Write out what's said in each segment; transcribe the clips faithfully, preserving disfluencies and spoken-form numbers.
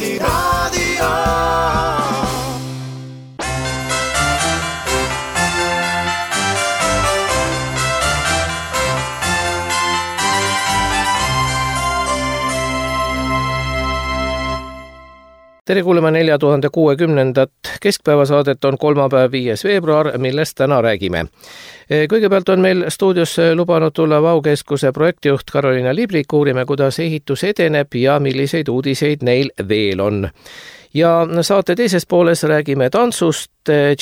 Kuulegi raadio. Tere kuulema nelja tuhande kuuekümnendat keskpäevasaadet on kolmapäev viies veebruar, millest täna räägime. Kõigepealt on meil stuudios lubanud tulla Vaukeskuse projektijuht Karoliina Liblik, uurime, kuidas ehitus edeneb ja milliseid uudiseid neil veel on. Ja saate teises pooles räägime tantsust.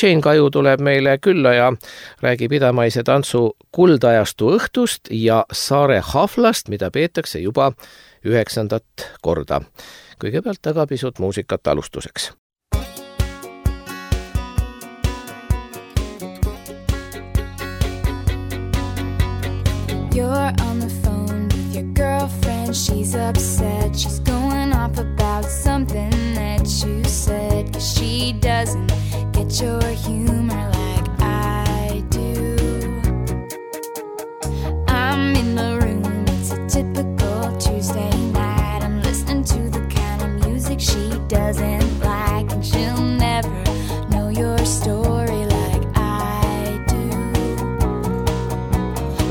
Jane Kaju tuleb meile külla ja räägib idamaise tantsu kuldajastu õhtust ja Saare Haflast, mida peetakse juba üheksandat korda. Kõigepealt aga pisut muusikat alustuseks. You're on the phone with your girlfriend. She's upset. She's going off about something that you said. 'Cause she doesn't get your humor like I do. I'm in the room. It's a typical Tuesday night. I'm listening to the kind of music she doesn't like. And she'll never know your story like I do.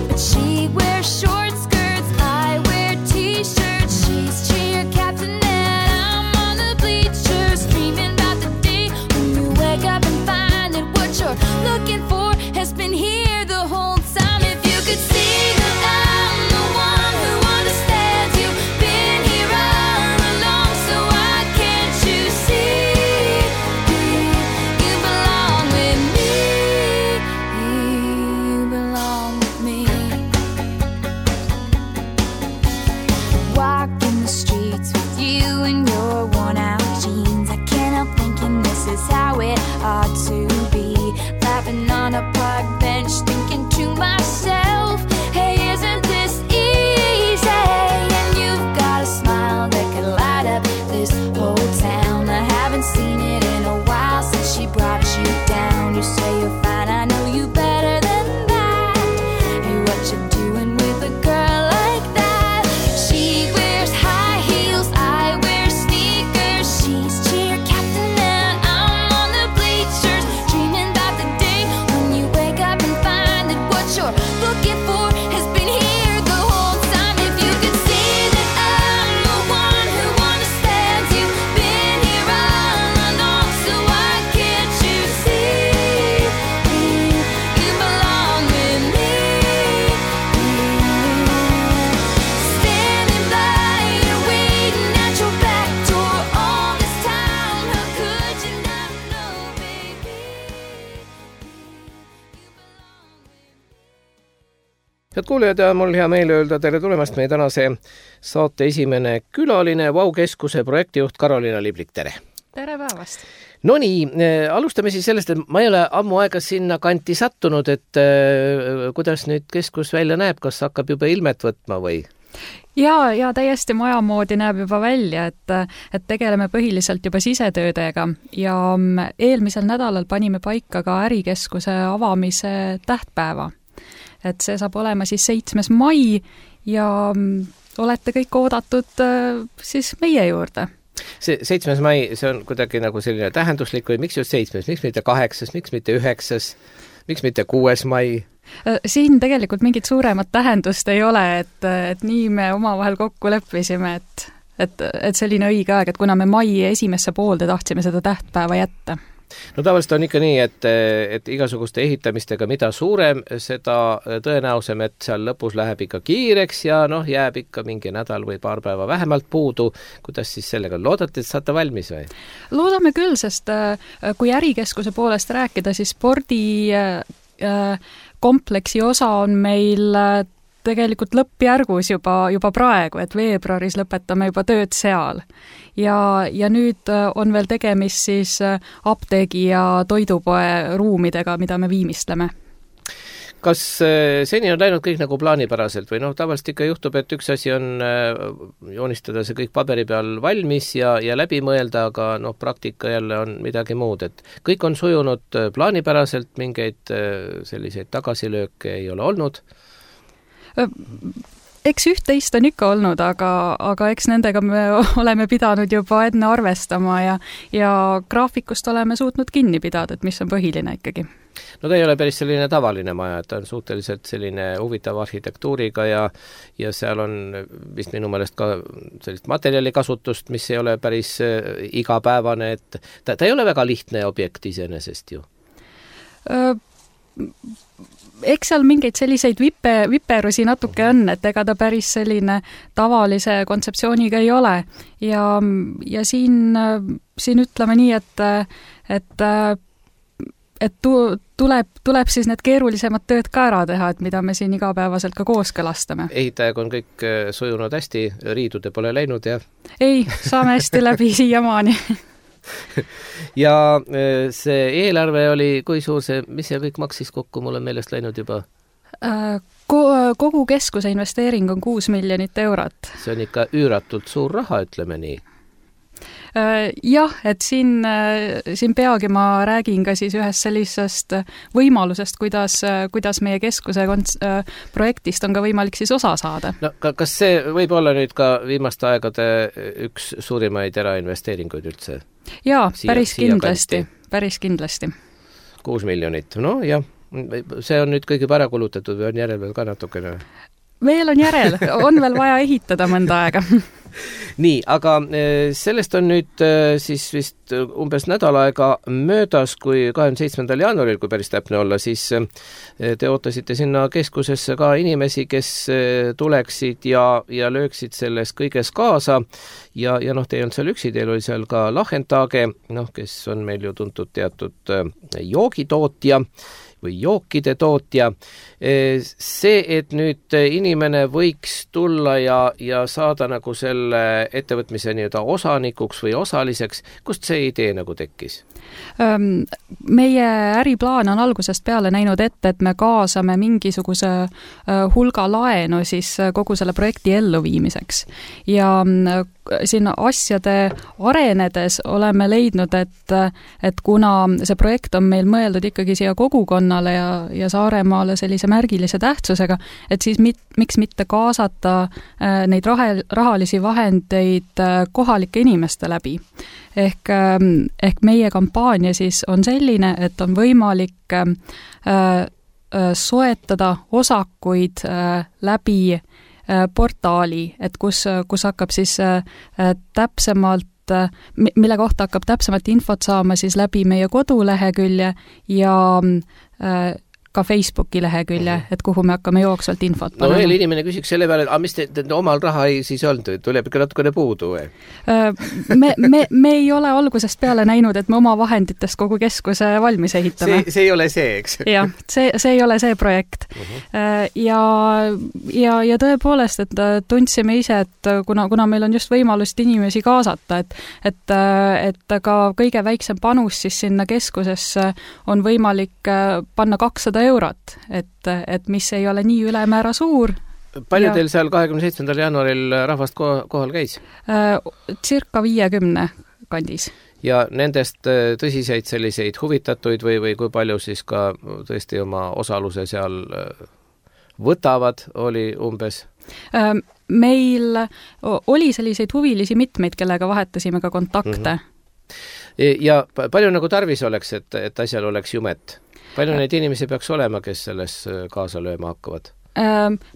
But she wears short skirts, I wear t-shirts. She's cheer captain and I'm on the bleachers, dreaming about the day when you wake up and find that what you're looking for has been here the whole time. If you could see that I'm the one who understands you, been here all along, so why can't you see you belong with me? You belong with me. Walking the streets with you in your worn out jeans, I can't help thinking this is how it ought to be. Laughing on a park bench, thinking to myself, hey, isn't this easy? And you've got a smile that could light up this whole town. I haven't seen it in a while since she brought you down. You say you're fine, I know you better than that. Hey, what you doing with a girl like that? She wears high heels, I wear sneakers. She's cheer captain and I'm on the bleachers, dreaming about the day when you wake up and find that what you're looking for has been here the whole time. If you could see that I'm the one who understands you, been here all along, so why can't you see you belong with me? Standing by you, waiting at your back door all this time. How could you not know, baby? Head kuulijad, ja mul hea meel öelda tere tulemast meie tänase saate esimene külaline, Vaukeskuse projektijuht Karoliina Liblik, tere! Tere päevast! No nii, alustame siis sellest, et ma ei ole ammu aega sinna kanti sattunud, et äh, kuidas nüüd keskus välja näeb, kas hakkab juba ilmet võtma või? Ja, ja täiesti maja moodi näeb juba välja, et, et tegeleme põhiliselt juba sisetöödega ja eelmisel nädalal panime paika ka ärikeskuse avamise tähtpäeva. Et see saab olema siis seitsmes mai ja olete kõik oodatud siis meie juurde. See seitsmes mai, see on kuidagi nagu selline tähenduslik või miks just seitsmes, miks mitte kaheksas, miks mitte üheksas, miks mitte kuues mai? Siin tegelikult mingit suuremat tähendust ei ole, et, et nii me omavahel kokku leppisime, et, et, et selline õige aeg, et kuna me mai esimesse poolde tahtsime seda tähtpäeva jätta. No tavaliselt on ikka nii, et, et igasuguste ehitamistega mida suurem, seda tõenäosem, et seal lõpus läheb ikka kiireks ja noh, jääb ikka mingi nädal või paar päeva vähemalt puudu. Kuidas siis sellega loodate, et saate valmis või? Loodame küll, sest kui ärikeskuse poolest rääkida, siis spordi kompleksi osa on meil tegelikult lõppjärgus juba, juba praegu, et veebruaris lõpetame juba tööd seal. Ja, ja nüüd on veel tegemist siis apteegi ja toidupoe ruumidega, mida me viimistleme. Kas seni on läinud kõik nagu plaanipäraselt või noh, tavaliselt ikka juhtub, et üks asi on joonistada see kõik paberi peal valmis ja, ja läbi mõelda, aga noh, praktika jälle on midagi muud, et kõik on sujunud plaanipäraselt, mingeid selliseid tagasilööke ei ole olnud? eks üht-teist on ikka olnud, aga, aga eks nendega me oleme pidanud juba enne arvestama ja, ja graafikust oleme suutnud kinni pidada, et mis on põhiline ikkagi. No ta ei ole päris selline tavaline maja, et ta on suhteliselt selline huvitav arhitektuuriga ja, ja seal on vist minu meelest ka sellist materjalikasutust, mis ei ole päris igapäevane, et ta, ta ei ole väga lihtne objekt iseenesest ju. Eks seal mingeid selliseid vippe, viperusi natuke on, et ega ta päris selline tavalise kontseptsiooniga ei ole. Ja, ja siin, siin ütleme nii, et, et et tu, tuleb, tuleb siis need keerulisemad tööd ka ära teha, et mida me siin igapäevaselt ka kooskõlastame. Ehitajaga on kõik sujunud hästi, riidude pole läinud ja ei, saame hästi läbi siiamaani. Ja see eelarve oli, kui suur see, mis see kõik maksis kokku, mul on meelest läinud juba? Kogu keskuse investeering on kuus miljonit eurot. See on ikka üüratult suur raha, ütleme nii. Jah, et siin, siin peagi ma räägin ka siis ühest sellisest võimalusest, kuidas, kuidas meie keskuse konts- projektist on ka võimalik siis osa saada. No, kas see võib olla nüüd ka viimaste aegade üks suurimaid erainvesteeringuid üldse? Jaa, siia, päris kindlasti, päris kindlasti. Kuus miljonit, no jah, see on nüüd kõige ära kulutatud või on järel veel ka natukene? Veel on järel, on veel vaja ehitada mõnda aega. Nii, aga sellest on nüüd siis vist umbes nädal aega möödas, kui kahekümne seitsmendal jaanuaril, kui päris täpne olla, siis te ootasite sinna keskusesse ka inimesi, kes tuleksid ja, ja lööksid selles kõiges kaasa ja, ja noh, te ei olnud seal üksi, teil oli seal ka Lahentage, noh, kes on meil ju tuntud teatud joogitootja või jookide tootja. See, et nüüd inimene võiks tulla ja, ja saada nagu selle ettevõtmise nii-öelda osanikuks või osaliseks, kust see idee nagu tekkis? Meie äriplaan on algusest peale näinud ette, et me kaasame mingisuguse hulga laenu siis kogu selle projekti elluviimiseks. Ja siin asjade arenedes oleme leidnud, et, et kuna see projekt on meil mõeldud ikkagi siia kogukonnale ja, ja Saaremaale sellise märgilise tähtsusega, et siis mit, miks mitte kaasata neid rahe, rahalisi vahendeid kohalike inimeste läbi. Ehk, ehk meie kampaania siis on selline, et on võimalik äh, äh, soetada osakuid äh, läbi äh, portaali, et kus, kus hakkab siis äh, täpsemalt, äh, mille kohta hakkab täpsemalt infot saama siis läbi meie kodulehekülje ja äh, ka Facebooki lehekülje, et kuhu me hakkame jooksvalt infot panema. No veel inimene küsiks selle peale, et mis te, te omal raha ei siis olnud, tuleb ikka natukene puudu või? Me, me, me ei ole algusest peale näinud, et me oma vahenditest kogu keskuse valmis ehitame. See, see ei ole see, eks? Jah, see, see ei ole see projekt. Uh-huh. Ja, ja, ja tõepoolest, et tundsime ise, et kuna, kuna meil on just võimalust inimesi kaasata, et, et, et ka kõige väiksem panus siis sinna keskusesse on võimalik panna kakssada eurot, et, et mis ei ole nii ülemäära suur. Palju ja, teil seal kahekümne seitsmendal jaanuaril rahvast kohal käis? Circa viiekümne kandis. Ja nendest tõsiseid selliseid huvitatuid või, või kui palju siis ka tõesti oma osaluse seal võtavad, oli umbes? Meil oli selliseid huvilisi mitmeid, kellega vahetasime ka kontakte. Mm-hmm. Ja palju nagu tarvis oleks, et, et asjal oleks jumet? Palju neid inimesi peaks olema, kes selles kaasa lööma hakkavad?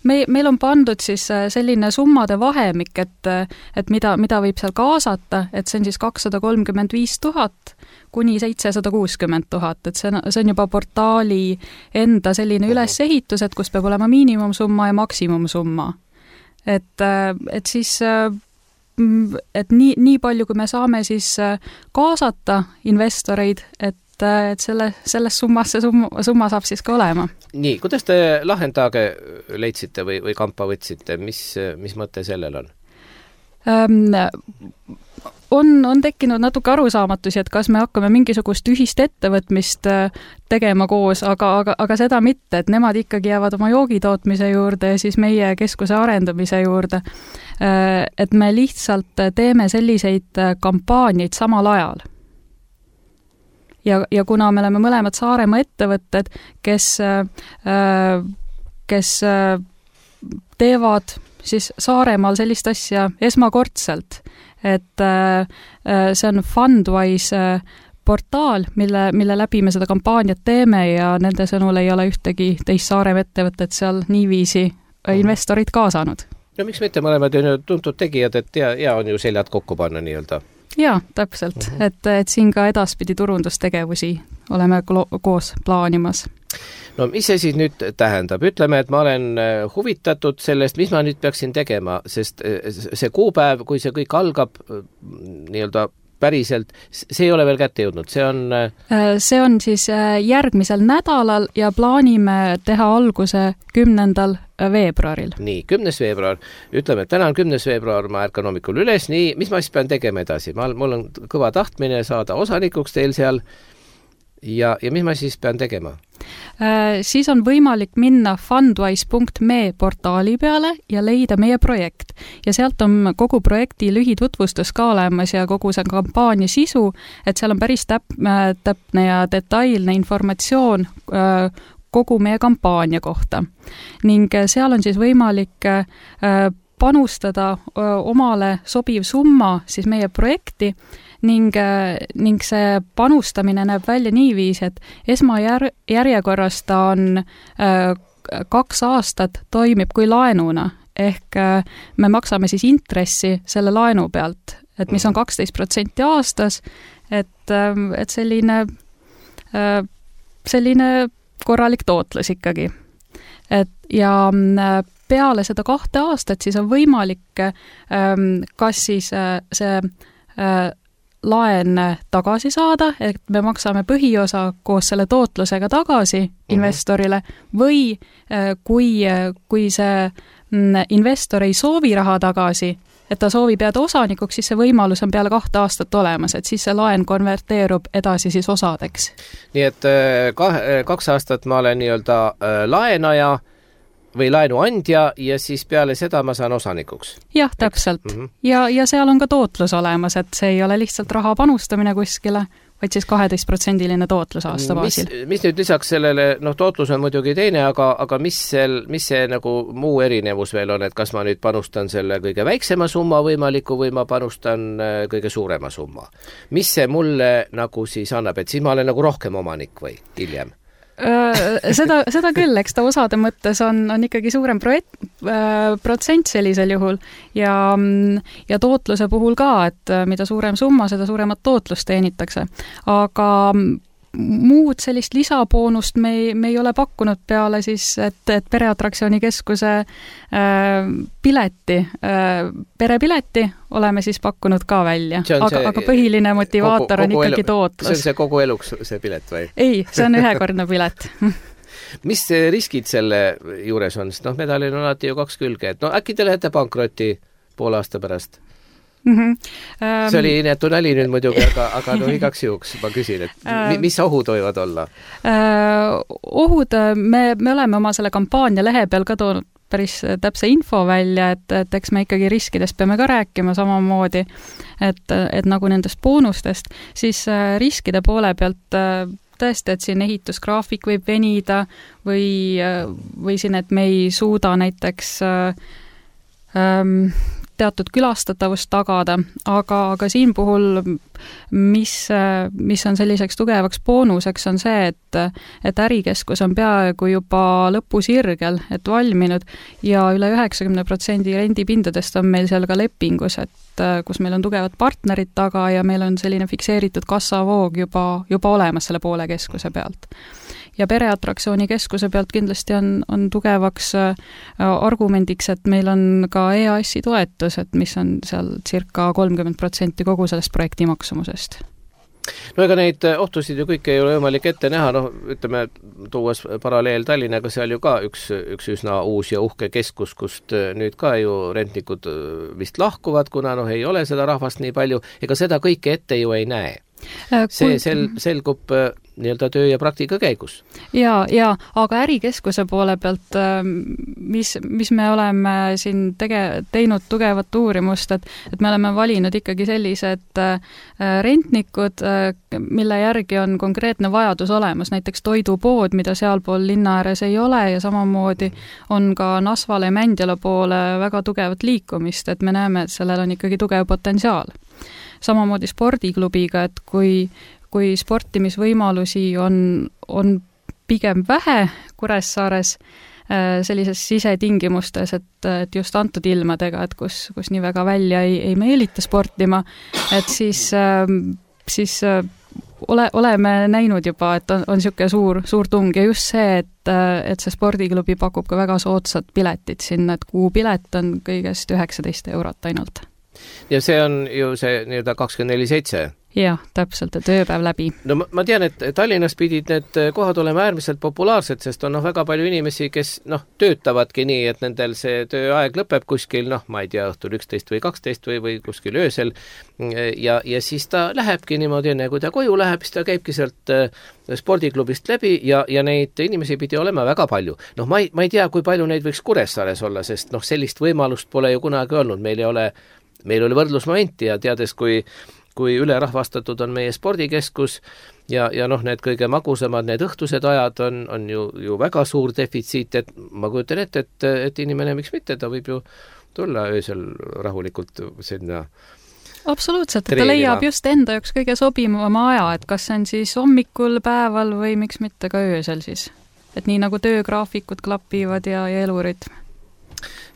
Me, meil on pandud siis selline summade vahemik, et, et mida, mida võib seal kaasata, et see on siis kakssada kolmkümmend viis tuhat kuni seitsesada kuuskümmend tuhat, et see on, see on juba portaali enda selline ülesehitus, et kus peab olema miinimumsumma ja maksimumsumma. Et, et siis et nii, nii palju, kui me saame siis kaasata investoreid, et et selle, selles summas see summa, summa saab siis ka olema. Nii, kuidas te Lahentage leidsite või, või kampa võtsite? Mis, mis mõte sellel on? Ähm, on, on tekkinud natuke arusaamatusi, et kas me hakkame mingisugust ühist ettevõtmist tegema koos, aga, aga, aga seda mitte, et nemad ikkagi jäävad oma joogitootmise juurde ja siis meie keskuse arendamise juurde. Et me lihtsalt teeme selliseid kampaaniaid samal ajal. Ja, ja kuna me oleme mõlemad Saaremaa ettevõtted, kes, kes teevad siis Saaremaal sellist asja esmakordselt, et see on Fundwise portaal, mille, mille läbi me seda kampaaniat teeme ja nende sõnul ei ole ühtegi teist Saaremaa ettevõtet seal niiviisi investorid kaasanud. No miks mitte, mõlemad on ju tuntud tegijad, et hea, hea on ju seljad kokku panna nii-öelda? Jaa, täpselt, uh -huh. et, et siin ka edaspidi turundustegevusi oleme koos plaanimas. No mis see siis nüüd tähendab? Ütleme, et ma olen huvitatud sellest, mis ma nüüd peaksin tegema, sest see kuupäev, kui see kõik algab nii-öelda päriselt, see ei ole veel kätte jõudnud, see on... See on siis järgmisel nädalal ja plaanime teha alguse kümnendal veebruaril. Nii, kümnes veebruar. Ütleme, et täna on kümnes veebruar, ma ärkan hommikul üles, nii, mis ma siis pean tegema edasi? Ma, mul on kõva tahtmine saada osanikuks teil seal ja, ja mis ma siis pean tegema? Siis on võimalik minna fundwise punkt me portaali peale ja leida meie projekt. Ja sealt on kogu projekti lühitutvustus ka olemas ja kogu see kampaania sisu, et seal on päris täp- täpne ja detailne informatsioon kogu meie kampaania kohta. Ning seal on siis võimalik panustada omale sobiv summa siis meie projekti ning, ning see panustamine näeb välja niiviisi, et esmajärjekorras ta on kaks aastat toimib kui laenuna, ehk me maksame siis intressi selle laenu pealt, et mis on kaksteist protsenti aastas, et, et selline, selline korralik tootlus ikkagi. Et ja peale seda kahte aastat siis on võimalik kas siis see laen tagasi saada, et me maksame põhiosa koos selle tootlusega tagasi investorile või kui, kui see investor ei soovi raha tagasi, et ta soovib jääda osanikuks, siis see võimalus on peale kahte aastat olemas, et siis see laen konverteerub edasi siis osadeks. Nii et kaks aastat ma olen nii-öelda laenaja või laenuandja ja siis peale seda ma saan osanikuks. Jah, täpselt. Mm -hmm. ja, ja seal on ka tootlus olemas, et see ei ole lihtsalt raha panustamine kuskile, vaid siis kaheteist protsendiline tootlus aasta baasil. Mis, mis nüüd lisaks sellele, noh, tootlus on muidugi teine, aga, aga mis, sel, mis see nagu muu erinevus veel on, et kas ma nüüd panustan selle kõige väiksema summa võimaliku või ma panustan kõige suurema summa? Mis see mulle nagu siis annab, et siis ma olen nagu rohkem omanik või hiljem? seda, seda küll, eks ta osade mõttes on, on ikkagi suurem projekt, äh, protsent sellisel juhul ja, ja tootluse puhul ka, et mida suurem summa, seda suuremat tootlust teenitakse. Aga muud sellist lisaboonust me ei, me ei ole pakkunud peale siis, et, et Pereatraktsiooni keskuse äh, pileti, äh, perepileti oleme siis pakkunud ka välja, aga, see, aga põhiline motivaator kogu, kogu on ikkagi elu, tootlus. See on see kogu eluks see pilet või? Ei, see on ühekordne pilet. Mis riskid selle juures on? Sest noh, medalil on alati ju kaks külge, et no äkki te lähete pankrotti poole aasta pärast? Mm -hmm. um, see oli inetu nali nüüd muidugi, aga, aga no igaks juhuks ma küsin, et um, mis ohud võivad olla? Uh, ohud, me, me oleme oma selle kampaania lehe peal ka toonud päris täpse info välja, et, et eks me ikkagi riskidest peame ka rääkima samamoodi, et, et nagu nendest boonustest, siis riskide poole pealt tõesti, et siin ehitusgraafik võib venida või, või siin, et me ei suuda näiteks ähm, teatud külastatavust tagada, aga, aga siin puhul, mis, mis on selliseks tugevaks boonuseks, on see, et, et ärikeskus on peaaegu juba lõpusirgel, et valminud ja üle üheksakümne protsendi rendipindadest on meil seal ka lepingus, et kus meil on tugevad partnerid taga ja meil on selline fikseeritud kassavoog juba, juba olemas selle poole keskuse pealt. Ja Pereatraktsiooni keskuse pealt kindlasti on, on tugevaks argumendiks, et meil on ka E A S-i toetus, et mis on seal circa kolmkümmend protsenti kogu sellest projekti maksumusest. No ega neid ohtusid ju kõike ei ole võimalik ette näha, noh, ütleme, tuues paralleel Tallinnaga, seal ju ka üks, üks üsna uus ja uhke keskus, kust nüüd ka ju rentnikud vist lahkuvad, kuna noh, ei ole seda rahvast nii palju, ega seda kõike ette ju ei näe. See sel, selgub nii-öelda töö ja praktika käigus. Ja, ja aga ärikeskuse poole pealt, mis, mis me oleme siin tege, teinud tugevat uurimust, et, et me oleme valinud ikkagi sellised rentnikud, mille järgi on konkreetne vajadus olemas, näiteks toidupood, mida sealpool linna ääres ei ole ja samamoodi on ka Nasvale ja Mändjala poole väga tugevat liikumist, et me näeme, et sellel on ikkagi tugev potentsiaal. Samamoodi spordiklubiga, et kui, kui sportimisvõimalusi on, on pigem vähe Kuressaares sellises sisetingimustes, et, et just antud ilmadega, et kus, kus nii väga välja ei, ei meelita sportima, et siis, siis ole, oleme näinud juba, et on, on niisugune suur, suur tung ja just see, et, et see spordiklubi pakub ka väga soodsad piletid sinna, et kuupilet on kõigest üheksateist eurot ainult. Ja see on ju see nii-öelda kakskümmend neli seitse. Jah, täpselt, et ööpäev läbi. No ma, ma tean, et Tallinnas pidid need kohad olema äärmiselt populaarsed, sest on noh, väga palju inimesi, kes noh, töötavadki nii, et nendel see tööaeg lõpeb kuskil, noh, ma ei tea, õhtul üksteist või kaksteist või, või kuskil öösel ja, ja siis ta lähebki niimoodi, enne kui ta koju läheb, siis ta käibki sealt spordiklubist läbi ja, ja neid inimesi pidi olema väga palju. Noh, ma ei, ma ei tea, kui palju neid võiks Kuressaares olla, sest noh, sellist võimalust pole ju kunagi olnud, meil ei ole, meil oli võrdlusmomenti ja teades, kui kui ülerahvastatud on meie spordikeskus ja, ja noh, need kõige magusamad, need õhtused ajad on, on ju, ju väga suur defitsiit, et ma kujutan ette, et, et inimene, miks mitte, ta võib ju tulla öösel rahulikult sinna absoluutselt, et ta leiab just enda jaoks kõige sobivama aja, et kas see on siis hommikul, päeval või miks mitte ka öösel siis. Et nii nagu töögraafikud klapivad ja, ja elurütm.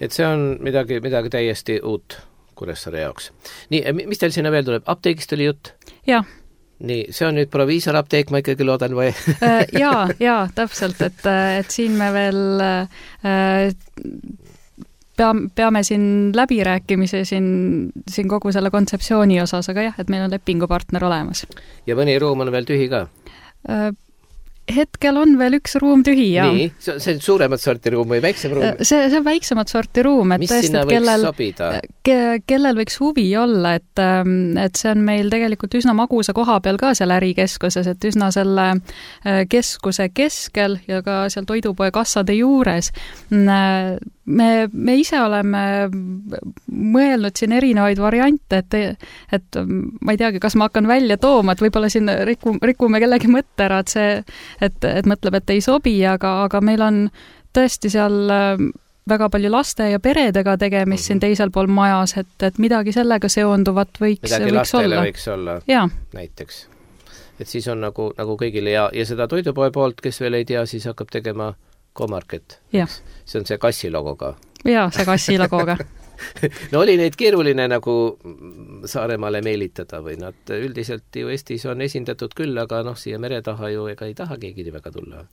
Et see on midagi, midagi täiesti uut Kuressaare jaoks. Nii, mis teil sinna veel tuleb? Apteegist oli jutt? Jah. Nii, see on nüüd proviisorapteek, ma ikkagi loodan või? Jaa, jaa, täpselt, et, et siin me veel peame, peame siin läbirääkimise siin, siin kogu selle kontseptsiooni osas, aga jah, et meil on lepingupartner olemas. Ja mõni ruum on veel tühi ka? Hetkel on veel üks ruum tühi, jah. Nii, see on suuremat sorti ruum või väiksem ruum? See, see on väiksemat sorti ruum, et mis tõesti, sinna võiks kellel, sobida? Ke, kellel võiks huvi olla, et, et see on meil tegelikult üsna magusa koha peal ka seal ärikeskuses, et üsna selle keskuse keskel ja ka seal toidupoe kassade juures. Me, me ise oleme mõelnud siin erinevaid variante, et, et ma ei teagi, kas ma hakkan välja tooma, et võib-olla siin riku, rikume kellegi mõtte ära, et see et, et mõtleb, et ei sobi, aga, aga meil on tõesti seal väga palju laste ja peredega tegemist mm-hmm. siin teisel pool majas, et, et midagi sellega seonduvat võiks, midagi võiks olla. võiks olla, ja. Näiteks. Et siis on nagu, nagu kõigile ja, ja seda toidupoe poolt, kes veel ei tea, siis hakkab tegema Comarket. See on see kassi logoga. Jaa, see kassi logoga. No oli neid keeruline nagu Saaremaale meelitada või nad üldiselt ju Eestis on esindatud küll, aga noh, siia mere taha ju ega ei taha keegi väga tulla.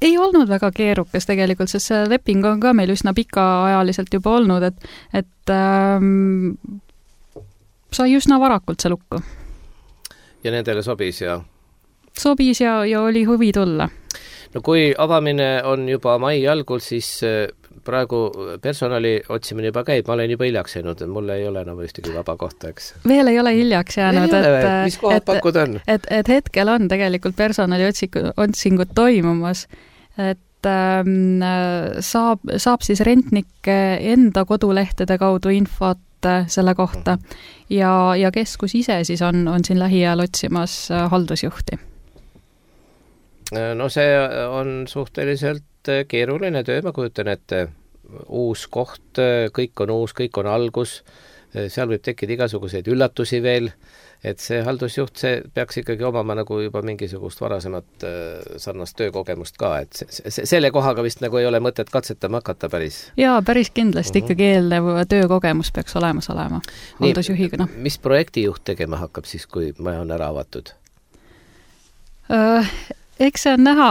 Ei olnud väga keerukas tegelikult, sest see leping on ka meil üsna pikaajaliselt juba olnud, et, et ähm, sai üsna varakult see lukku. Ja nendele sobis ja? Sobis ja, ja oli huvi tulla. No kui avamine on juba mai algul, siis praegu personali otsimine juba käib, ma olen juba hiljaks jäänud, mul ei ole enam ühtegi vaba kohta, eks. Veel ei ole hiljaks jäänud, et, mis kohad pakud on? Et, et hetkel on tegelikult personali otsingud toimumas, et ähm, saab, saab siis rentnik enda kodulehtede kaudu infot selle kohta ja, ja keskus ise siis on, on siin lähiajal otsimas haldusjuhti. No see on suhteliselt keeruline töö, ma kujutan ette, uus koht, kõik on uus, kõik on algus, seal võib tekkida igasuguseid üllatusi veel, et see haldusjuht, see peaks ikkagi omama nagu juba mingisugust varasemat sarnast töökogemust ka, et se- se- selle kohaga vist nagu ei ole mõtet katsetama hakata päris. Jaa, päris kindlasti uh-huh. ikkagi eelnev töökogemus peaks olemas olema haldusjuhiga. No. Mis projektijuht tegema hakkab siis, kui maja on ära avatud? Uh, Eks see on näha,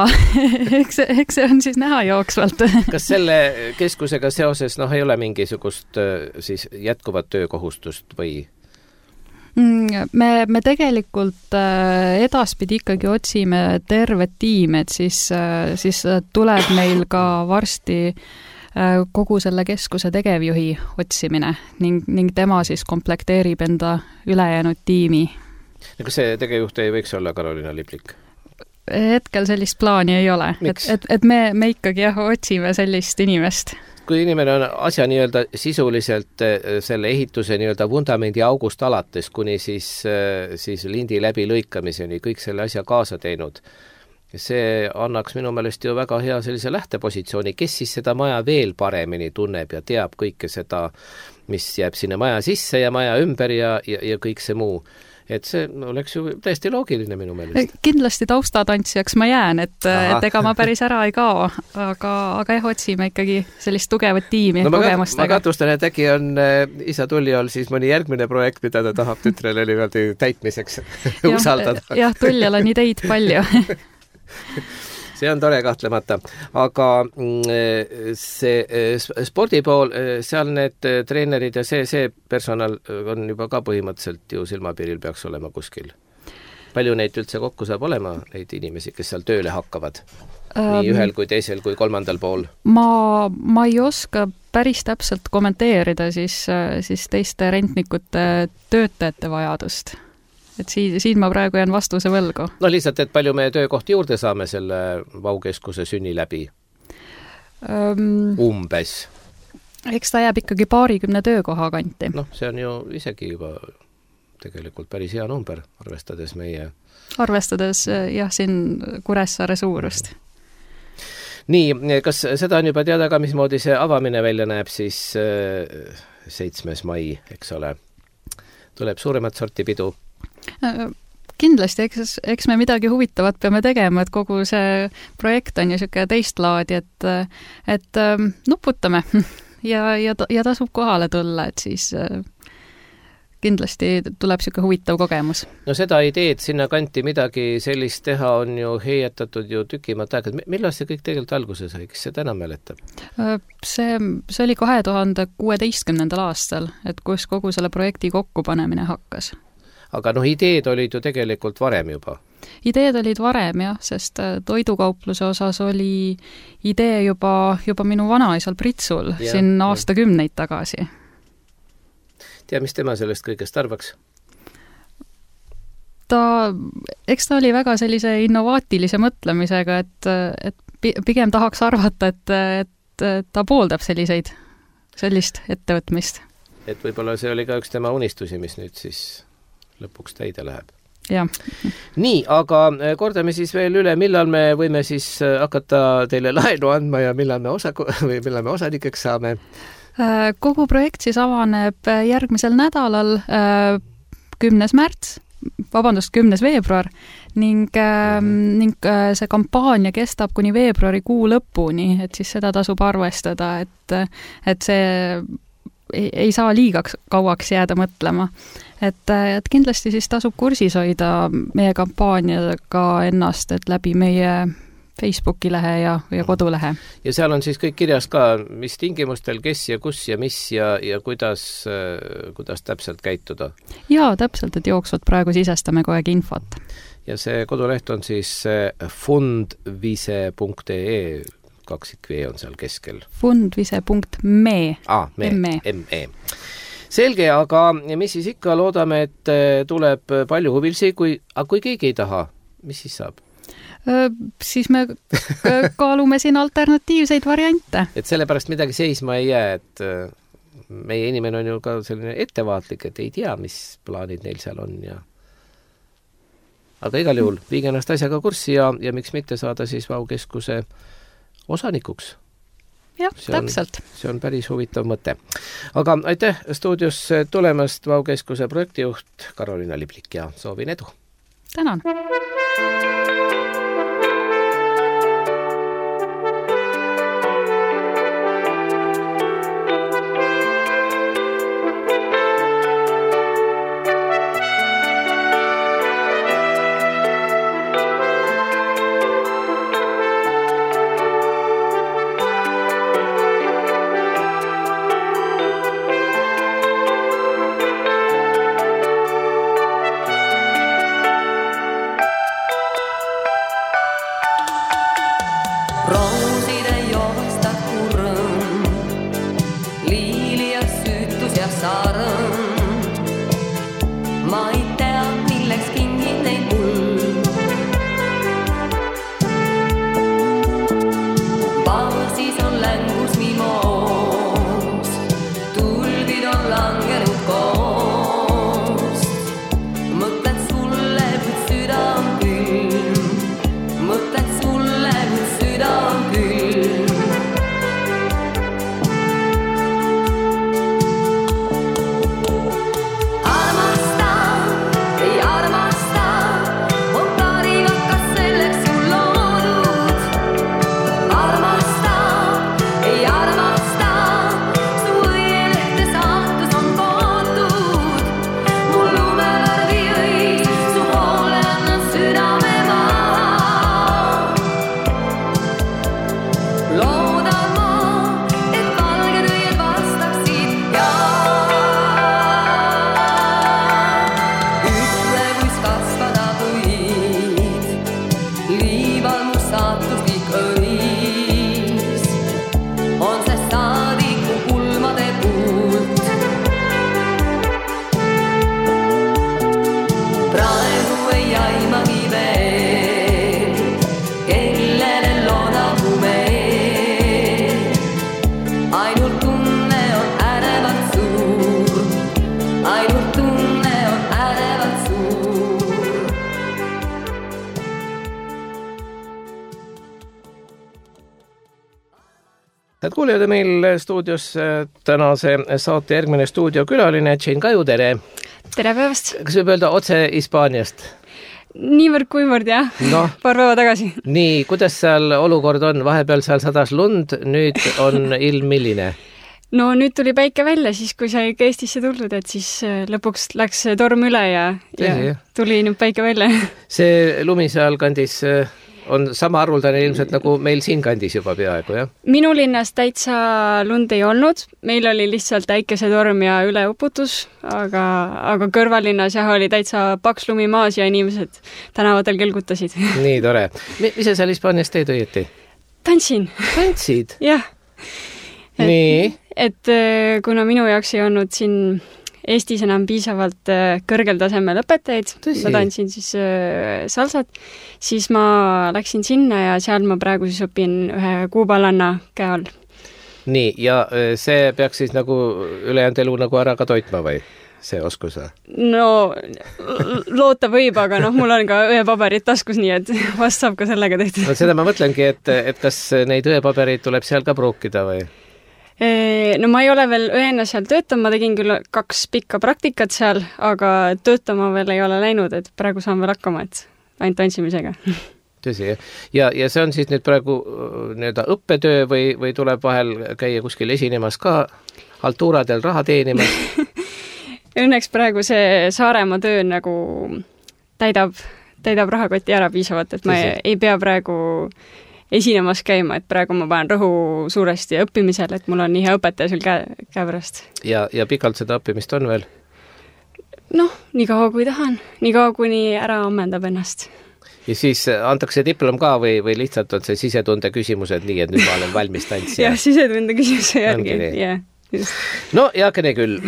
eks, eks see on siis näha jooksvalt. Kas selle keskusega seoses noh, ei ole mingisugust siis jätkuvat töökohustust või? Me, me tegelikult edaspidi ikkagi otsime tervet tiimi, et siis, siis tuleb meil ka varsti kogu selle keskuse tegevjuhi otsimine ning, ning tema siis komplekteerib enda ülejäänud tiimi. Kas see tegevjuht ei võiks olla Karoliina Liplik? hetkel sellist plaani ei ole. Et, et, et me, me ikkagi jah, otsime sellist inimest. Kui inimene on asja nii-öelda sisuliselt selle ehituse nii-öelda vundamendi august alates, kuni siis, siis lindi läbi lõikamiseni, kõik selle asja kaasa teinud, see annaks minu meelest ju väga hea sellise lähtepositsiooni, kes siis seda maja veel paremini tunneb ja teab kõike seda, mis jääb sinna maja sisse ja maja ümber ja, ja, ja kõik see muu. Et see oleks ju täiesti loogiline minu meelest. Kindlasti taustatantsijaks ma jään, et, et ega ma päris ära ei kao, aga, aga jah, otsime ikkagi sellist tugevat tiimi no, kogemustega. Ma katustan, et äkki on äh, isa Tuljal siis mõni järgmine projekt, mida ta tahab tütrele niimoodi täitmiseks usaldada. Jah, Tuljal on ideid palju. See on tore kahtlemata, aga see spordi pool, seal need treenerid ja see, see personal on juba ka põhimõtteliselt ju silmapiiril peaks olema kuskil. Palju neid üldse kokku saab olema, neid inimesi, kes seal tööle hakkavad? Nii ühel kui teisel kui kolmandal pool? Ma, ma ei oska päris täpselt kommenteerida siis, siis teiste rentnikute töötajate vajadust. Et siin, siin ma praegu jään vastuse võlgu. No lihtsalt, et palju me töökohti juurde saame selle Vaukeskuse sünni läbi? Um, Umbes. Eks ta jääb ikkagi paarikümne töökoha kanti. Noh, see on ju isegi juba tegelikult päris hea number, arvestades meie... Arvestades jah, siin Kuressaare suurust. Nii, kas seda on juba teada ka, mismoodi see avamine välja näeb siis seitsmes mai, eks ole? Tuleb suuremat sorti pidu? Kindlasti, eks, eks me midagi huvitavat peame tegema, et kogu see projekt on ju siuke teist laadi, et, et nuputame ja, ja, ja tasub kohale tulla, et siis kindlasti tuleb siuke huvitav kogemus. No seda ideed sinna kanti midagi sellist teha on ju heietatud ju tükimat aega. Millal see kõik tegelikult alguse sai? Kes see täna mäletab? See, see oli kahe tuhande kuueteistkümnendal aastal, et kus kogu selle projekti kokkupanemine hakkas. Aga noh, ideed olid ju tegelikult varem juba. Ideed olid varem, jah, sest toidukaupluse osas oli idee juba, juba minu vanaisal Pritsul ja, siin aastakümneid tagasi. Tea, mis tema sellest kõigest arvaks? Ta, eks ta oli väga sellise innovaatilise mõtlemisega, et, et pigem tahaks arvata, et, et ta pooldab selliseid, sellist ettevõtmist. Et võib-olla see oli ka üks tema unistusi, mis nüüd siis lõpuks täide läheb. Ja. Nii, aga kordame siis veel üle, millal me võime siis hakata teile laenu andma ja millal me, osa, või millal me osanikeks saame? Kogu projekt siis avaneb järgmisel nädalal kümnes märts, vabandust, kümnes veebruar ning, mm. ning see kampaania kestab kuni veebruari kuu lõpuni, et siis seda tasub arvestada, et, et see ei, ei saa liiga kauaks jääda mõtlema. Et, et kindlasti siis tasub kursis hoida meie kampaaniaga ennast, et läbi meie Facebooki lehe ja, ja kodulehe. Ja seal on siis kõik kirjas ka, mis tingimustel, kes ja kus ja mis ja, ja kuidas, kuidas täpselt käituda. Jaa, täpselt, et jooksvalt praegu sisestame kogu aeg infot. Ja see koduleht on siis fundvise punkt ee, kaksikv on seal keskel. fundvise punkt me. Ah, me, me. Selge, aga mis siis ikka loodame, et tuleb palju huvilisi, kui, aga kui keegi ei taha, mis siis saab? Siis me kaalume siin alternatiivseid variante. Et sellepärast midagi seisma ei jää, et meie inimene on ju ka selline ettevaatlik, et ei tea, mis plaanid neil seal on. Ja... Aga igal juhul viige ennast asjaga kurssi ja, ja miks mitte saada siis Vaukeskuse osanikuks. Jah, see on, täpselt. See on päris huvitav mõte. Aga aitäh stuudios tulemast Vaukeskuse projektijuht Karolina Liblik ja soovin edu. Tänan. kuulejad, meil stuudios tänase saate järgmine stuudiokülaline Jane Kaju, tere! Tere päevast! Kas võib öelda otse Hispaaniast? Niivõrd kuivõrd, jah. No, paar päeva tagasi. Nii, kuidas seal olukord on? Vahepeal seal sadas lund, nüüd on ilm milline? No nüüd tuli päike välja, siis kui sai ikka Eestisse tulnud, et siis lõpuks läks torm üle ja, ja tuli nüüd päike välja. See lumi seal kandis on sama arvuldane ilmselt nagu meil siin kandis juba peaaegu, jah? Minu linnas täitsa lund ei olnud. Meil oli lihtsalt äikesetorm ja üleuputus, aga, aga kõrvalinnas jah oli täitsa paks lumi maas ja inimesed tänavatel kelgutasid. Nii tore. Mis sa seal Hispaanias teed õieti? Tantsin. Tantsid? Jah. Et, Nii? Et kuna minu jaoks ei olnud siin Eestis enam piisavalt kõrgel tasemel õpetajaid, ma tantsin siis salsat, siis ma läksin sinna ja seal ma praegu siis õpin ühe kuuballanna käe all. Nii, ja see peaks siis nagu ülejäänud elu nagu ära ka toitma või? See oskus? No, loota võib, aga noh, mul on ka õepaberid taskus, nii et vast saab ka sellega tehtud. No seda ma mõtlengi, et, et kas neid õepaberid tuleb seal ka pruukida või? No ma ei ole veel õena seal töötama, ma tegin küll kaks pikka praktikat seal, aga töötama veel ei ole läinud, et praegu saan veel hakkama, et ainult tantsimisega. Tõsi, ja, ja see on siis nüüd praegu nii-öelda õppetöö või, või tuleb vahel käia kuskil esinemas ka haltuuradel raha teenimas? Õnneks praegu see Saaremaa töö nagu täidab, täidab rahakoti ära piisavalt, et ma ei, ei pea praegu esinemas käima, et praegu ma panen rõhu suuresti õppimisel, et mul on nii hea õpetaja sul käe, käe pärast. Ja, ja pikalt seda õppimist on veel? Noh, nii kaua kui tahan, nii kaua kuni ära ammendab ennast. Ja siis antakse diplom ka või, või lihtsalt on see sisetunde küsimused nii, et nüüd ma olen valmis tantsija? Jah, sisetunde küsimuse järgi, jah. Just. No, jaakene küll.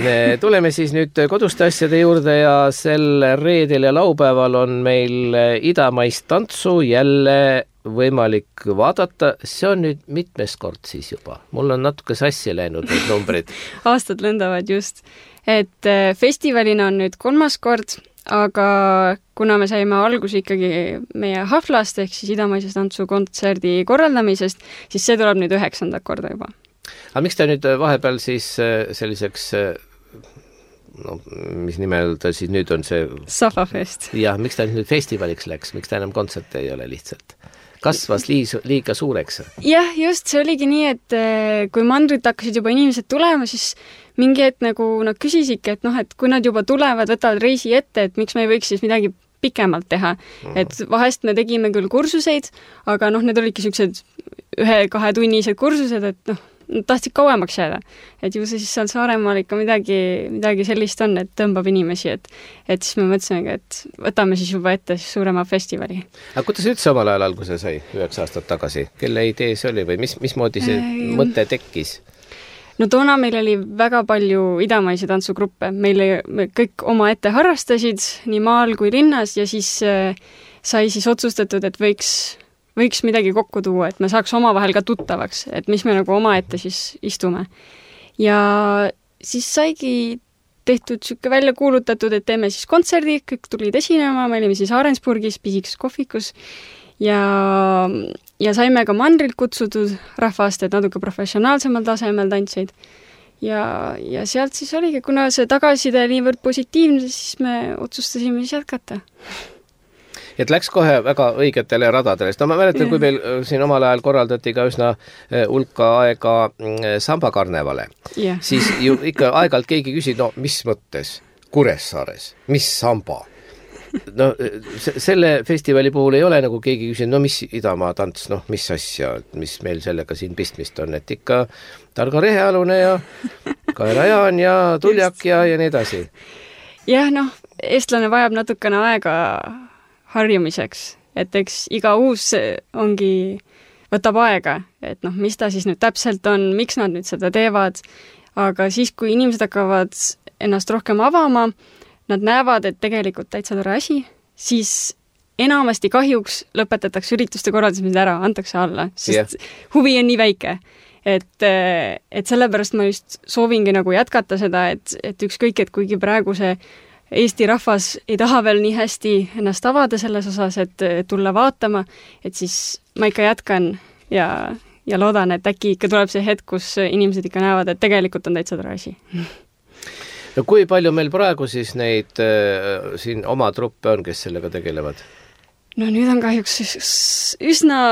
Tuleme siis nüüd koduste asjade juurde ja sel reedel ja laupäeval on meil idamaist tantsu jälle võimalik vaadata. See on nüüd mitmes kord siis juba. Mul on natuke sassi läinud need numbrid. Aastad lendavad just. Et festivalina on nüüd kolmas kord, aga kuna me saime alguse ikkagi meie haflast ehk siis idamaise tantsu kontserdi korraldamisest, siis see tuleb nüüd üheksanda korda juba. Aga miks ta nüüd vahepeal siis selliseks, no mis nimel ta siis nüüd on see... Safafest. Jah, miks ta nüüd festivaliks läks, miks ta enam kontserte ei ole lihtsalt? Kasvas liis, liiga suureks? Jah, just, see oligi nii, et kui mandrit hakkasid juba inimesed tulema, siis mingi hetk nagu nad küsisidki, et noh, et kui nad juba tulevad, võtavad reisi ette, et miks me ei võiks siis midagi pikemalt teha. Et vahest me tegime küll kursuseid, aga noh, need olidki sellised ühe-kahe tunnised kursused, et noh, tahtsid kauemaks jääda. Et ju see siis seal Saaremaal ikka midagi, midagi sellist on, et tõmbab inimesi, et, et siis me mõtlesimegi, et võtame siis juba ette siis suurema festivali. Aga kuidas üldse omal ajal alguse sai, üheksa aastat tagasi? Kelle idee see oli või mis, mismoodi see äh, mõte tekkis? No toona meil oli väga palju idamaisi tantsugruppe. Meil me kõik oma ette harrastasid nii maal kui linnas ja siis äh, sai siis otsustatud, et võiks võiks midagi kokku tuua, et me saaks omavahel ka tuttavaks, et mis me nagu oma ette siis istume. Ja siis saigi tehtud sükke välja kuulutatud, et teeme siis kontserdi, kõik tulid esinema, me olime siis Aarensburgis, pisiks kohvikus ja, ja saime ka mandrilt kutsutud rahvast, et natuke professionaalsemal tasemel tantseid. Ja, ja sealt siis oligi, kuna see tagasiside niivõrd positiivne, siis me otsustasime siis jätkata. Et läks kohe väga õigetele radadele. No ma mäletan, kui meil siin omal ajal korraldati ka üsna hulka aega sambakarnevale, yeah. Siis ju ikka aeg-ajalt keegi küsid, no mis mõttes Kuressaares, mis samba? No selle festivali puhul ei ole nagu keegi küsinud, no mis Idamaa tants, noh mis asja, mis meil sellega siin pistmist on, et ikka Targa Rehealune ja Kaera Jaan ja Tuljak ja, ja nii edasi. Jah, noh, eestlane vajab natukene aega harjumiseks, et eks iga uus ongi, võtab aega, et noh, mis ta siis nüüd täpselt on, miks nad nüüd seda teevad, aga siis, kui inimesed hakkavad ennast rohkem avama, nad näevad, et tegelikult täitsa tore asi, siis enamasti kahjuks lõpetatakse ürituste korraldamised ära, antakse alla, sest yeah. Huvi on nii väike. Et, et sellepärast ma just soovingi nagu jätkata seda, et, et ükskõik, et kuigi praegu see Eesti rahvas ei taha veel nii hästi ennast avada selles osas, et tulla vaatama, et siis ma ikka jätkan ja ja loodan, et äkki ikka tuleb see hetk, kus inimesed ikka näevad, et tegelikult on täitsa tore asi. No kui palju meil praegu siis neid äh, siin oma truppe on, kes sellega tegelevad? No nüüd on kahjuks üsna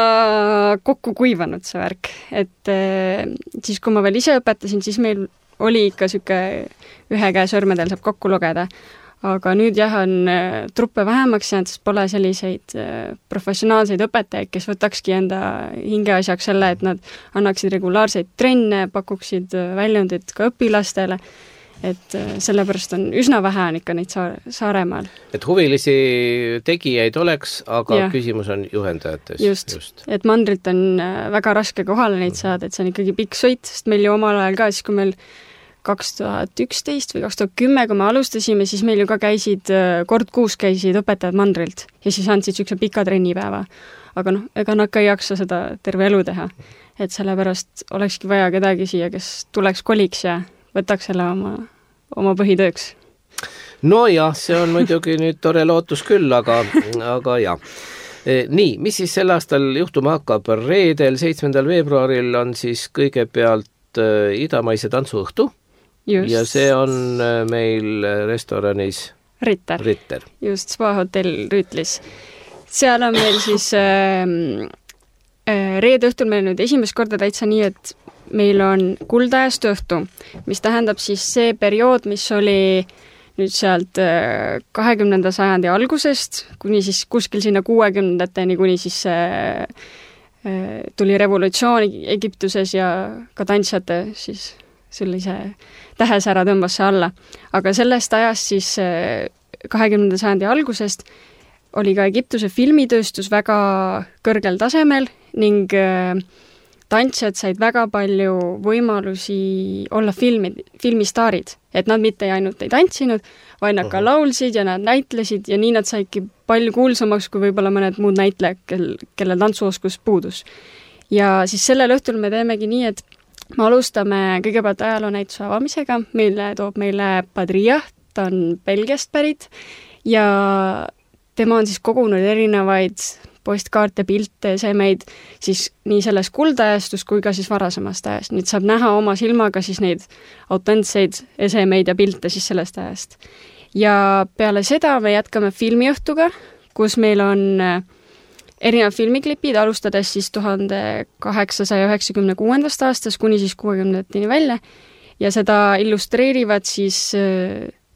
kokku kuivanud see värk, et äh, siis kui ma veel ise õpetasin, siis meil oli ikka siuke ühe käe sõrmedel saab kokku lugeda, aga nüüd jah, on äh, truppe vähemaks jäänud, sest pole selliseid äh, professionaalseid õpetajaid, kes võtakski enda hingeasjaks selle, et nad annaksid regulaarseid trenne, pakuksid äh, väljundit ka õpilastele, et sellepärast on üsna vähe on ikka neid saare, Saaremaal. Et huvilisi tegijaid oleks, aga ja. Küsimus on juhendajates. Just, just., et mandrilt on väga raske kohale neid saada, et see on ikkagi pikk sõit, sest meil ju omal ajal ka, siis kui meil kaks tuhat üksteist või kaks tuhat kümme, kui me alustasime, siis meil ju ka käisid, kord kuus käisid õpetajad mandrilt ja siis andsid siukse pika trennipäeva. Aga noh, ega nad ka ei jaksa seda terve elu teha. Et sellepärast olekski vaja kedagi siia, kes tuleks koliks ja võtaks selle oma, oma põhitööks. No jah, see on muidugi nüüd tore lootus küll, aga, aga jah. E, nii, mis siis sel aastal juhtuma hakkab? Reedel, seitsmendal veebruaril on siis kõigepealt äh, idamaise tantsuõhtu. Just. Ja see on äh, meil restoranis Ritter. Ritter. Just, Spa hotell Rüütlis. Seal on meil siis äh, äh, reede õhtul meil nüüd esimest korda täitsa nii, et meil on kuldajastu õhtu, mis tähendab siis see periood, mis oli nüüd sealt kahekümnenda sajandi algusest, kuni siis kuskil sinna kuuekümnendateni, kuni siis tuli revolutsioon Egiptuses ja ka tantsijate siis sellise tähesära tõmbas see alla. Aga sellest ajast siis kahekümnenda sajandi algusest oli ka Egiptuse filmitööstus väga kõrgel tasemel ning tantsijad said väga palju võimalusi olla filmi, filmistaarid. Et nad mitte ainult ei tantsinud, vaid nad ka laulsid ja nad näitlesid ja nii nad saidki palju kuulsamaks kui võib-olla mõned muud näitlejad, kel, kelle tantsuoskus puudus. Ja siis sellel õhtul me teemegi nii, et me alustame kõigepealt ajaloonäituse avamisega, mille toob meile Padria, ta on Belgiast pärit ja tema on siis kogunud erinevaid postkaarte, pilte, esemeid siis nii selles kuldajastus kui ka siis varasemast ajast. Nüüd saab näha oma silmaga siis neid autentseid esemeid ja pilte siis sellest ajast. Ja peale seda me jätkame filmiõhtuga, kus meil on erinevad filmiklipid, alustades siis tuhande kaheksasaja üheksakümne kuuendast aastast kuni siis kuuekümnendateni välja ja seda illustreerivad siis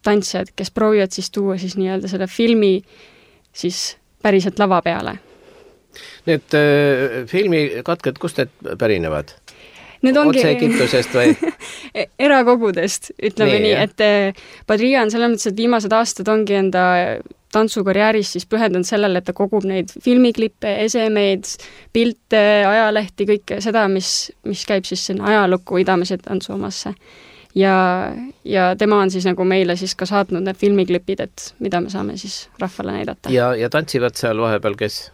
tantsijad, kes proovivad siis tuua siis nii-öelda selle filmi siis päriselt lava peale. Need äh, filmikatked, kust need pärinevad? Need ongi otse Egiptusest või? erakogudest, ütleme nii, nii et Padria on selles mõttes, et viimased aastad ongi enda tantsukarjääris siis pühendunud sellele, et ta kogub neid filmiklippe, esemeid, pilte, ajalehti, kõike seda, mis, mis käib siis sinna ajalukku idamise tantsu omasse. Ja, ja tema on siis nagu meile siis ka saatnud need filmiklipid, et mida me saame siis rahvale näidata. Ja, ja tantsivad seal vahepeal kes?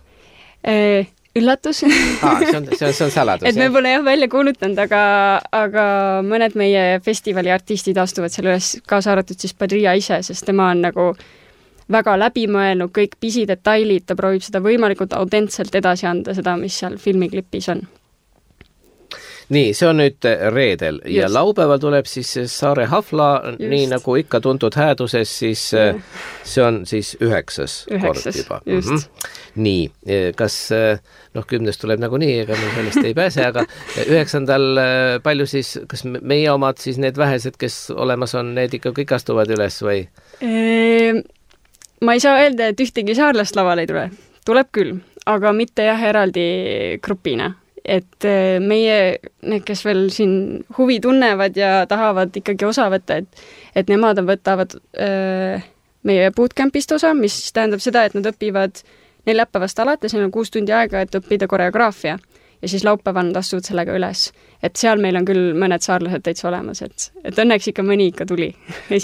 E, üllatus. ah, see, on, see, on, see on saladus. Et me pole jah välja kuulutanud, aga, aga mõned meie festivali artistid astuvad selle üles, kaasa arvatud siis Padria ise, sest tema on nagu väga läbimõelnud kõik pisidetailid, ta proovib seda võimalikult autentselt edasi anda, seda, mis seal filmiklipis on. Nii, see on nüüd reedel ja just. Laupäeval tuleb siis Saare Hafla, just. Nii nagu ikka tuntud hääduses, siis ja. See on siis üheksas, üheksas kord juba. Just. Mm-hmm. Nii, kas, noh, kümnest tuleb nagu nii, ega me sellest ei pääse, aga üheksandal palju siis, kas meie omad siis need vähesed, kes olemas on, need ikka kõik astuvad üles või? Eee, ma ei saa öelda, et ühtegi saarlast laval ei tule. Tuleb küll, aga mitte jah eraldi grupina. Et meie, need, kes veel siin huvi tunnevad ja tahavad ikkagi osa võtta, et, et nemad võtavad öö, meie bootcampist osa, mis tähendab seda, et nad õpivad neljapäevast alates, neil on kuus tundi aega, et õppida koreograafia ja siis laupäeval nad astuvad sellega üles. Et seal meil on küll mõned saarlased täitsa olemas, et, et õnneks ikka mõni ikka tuli.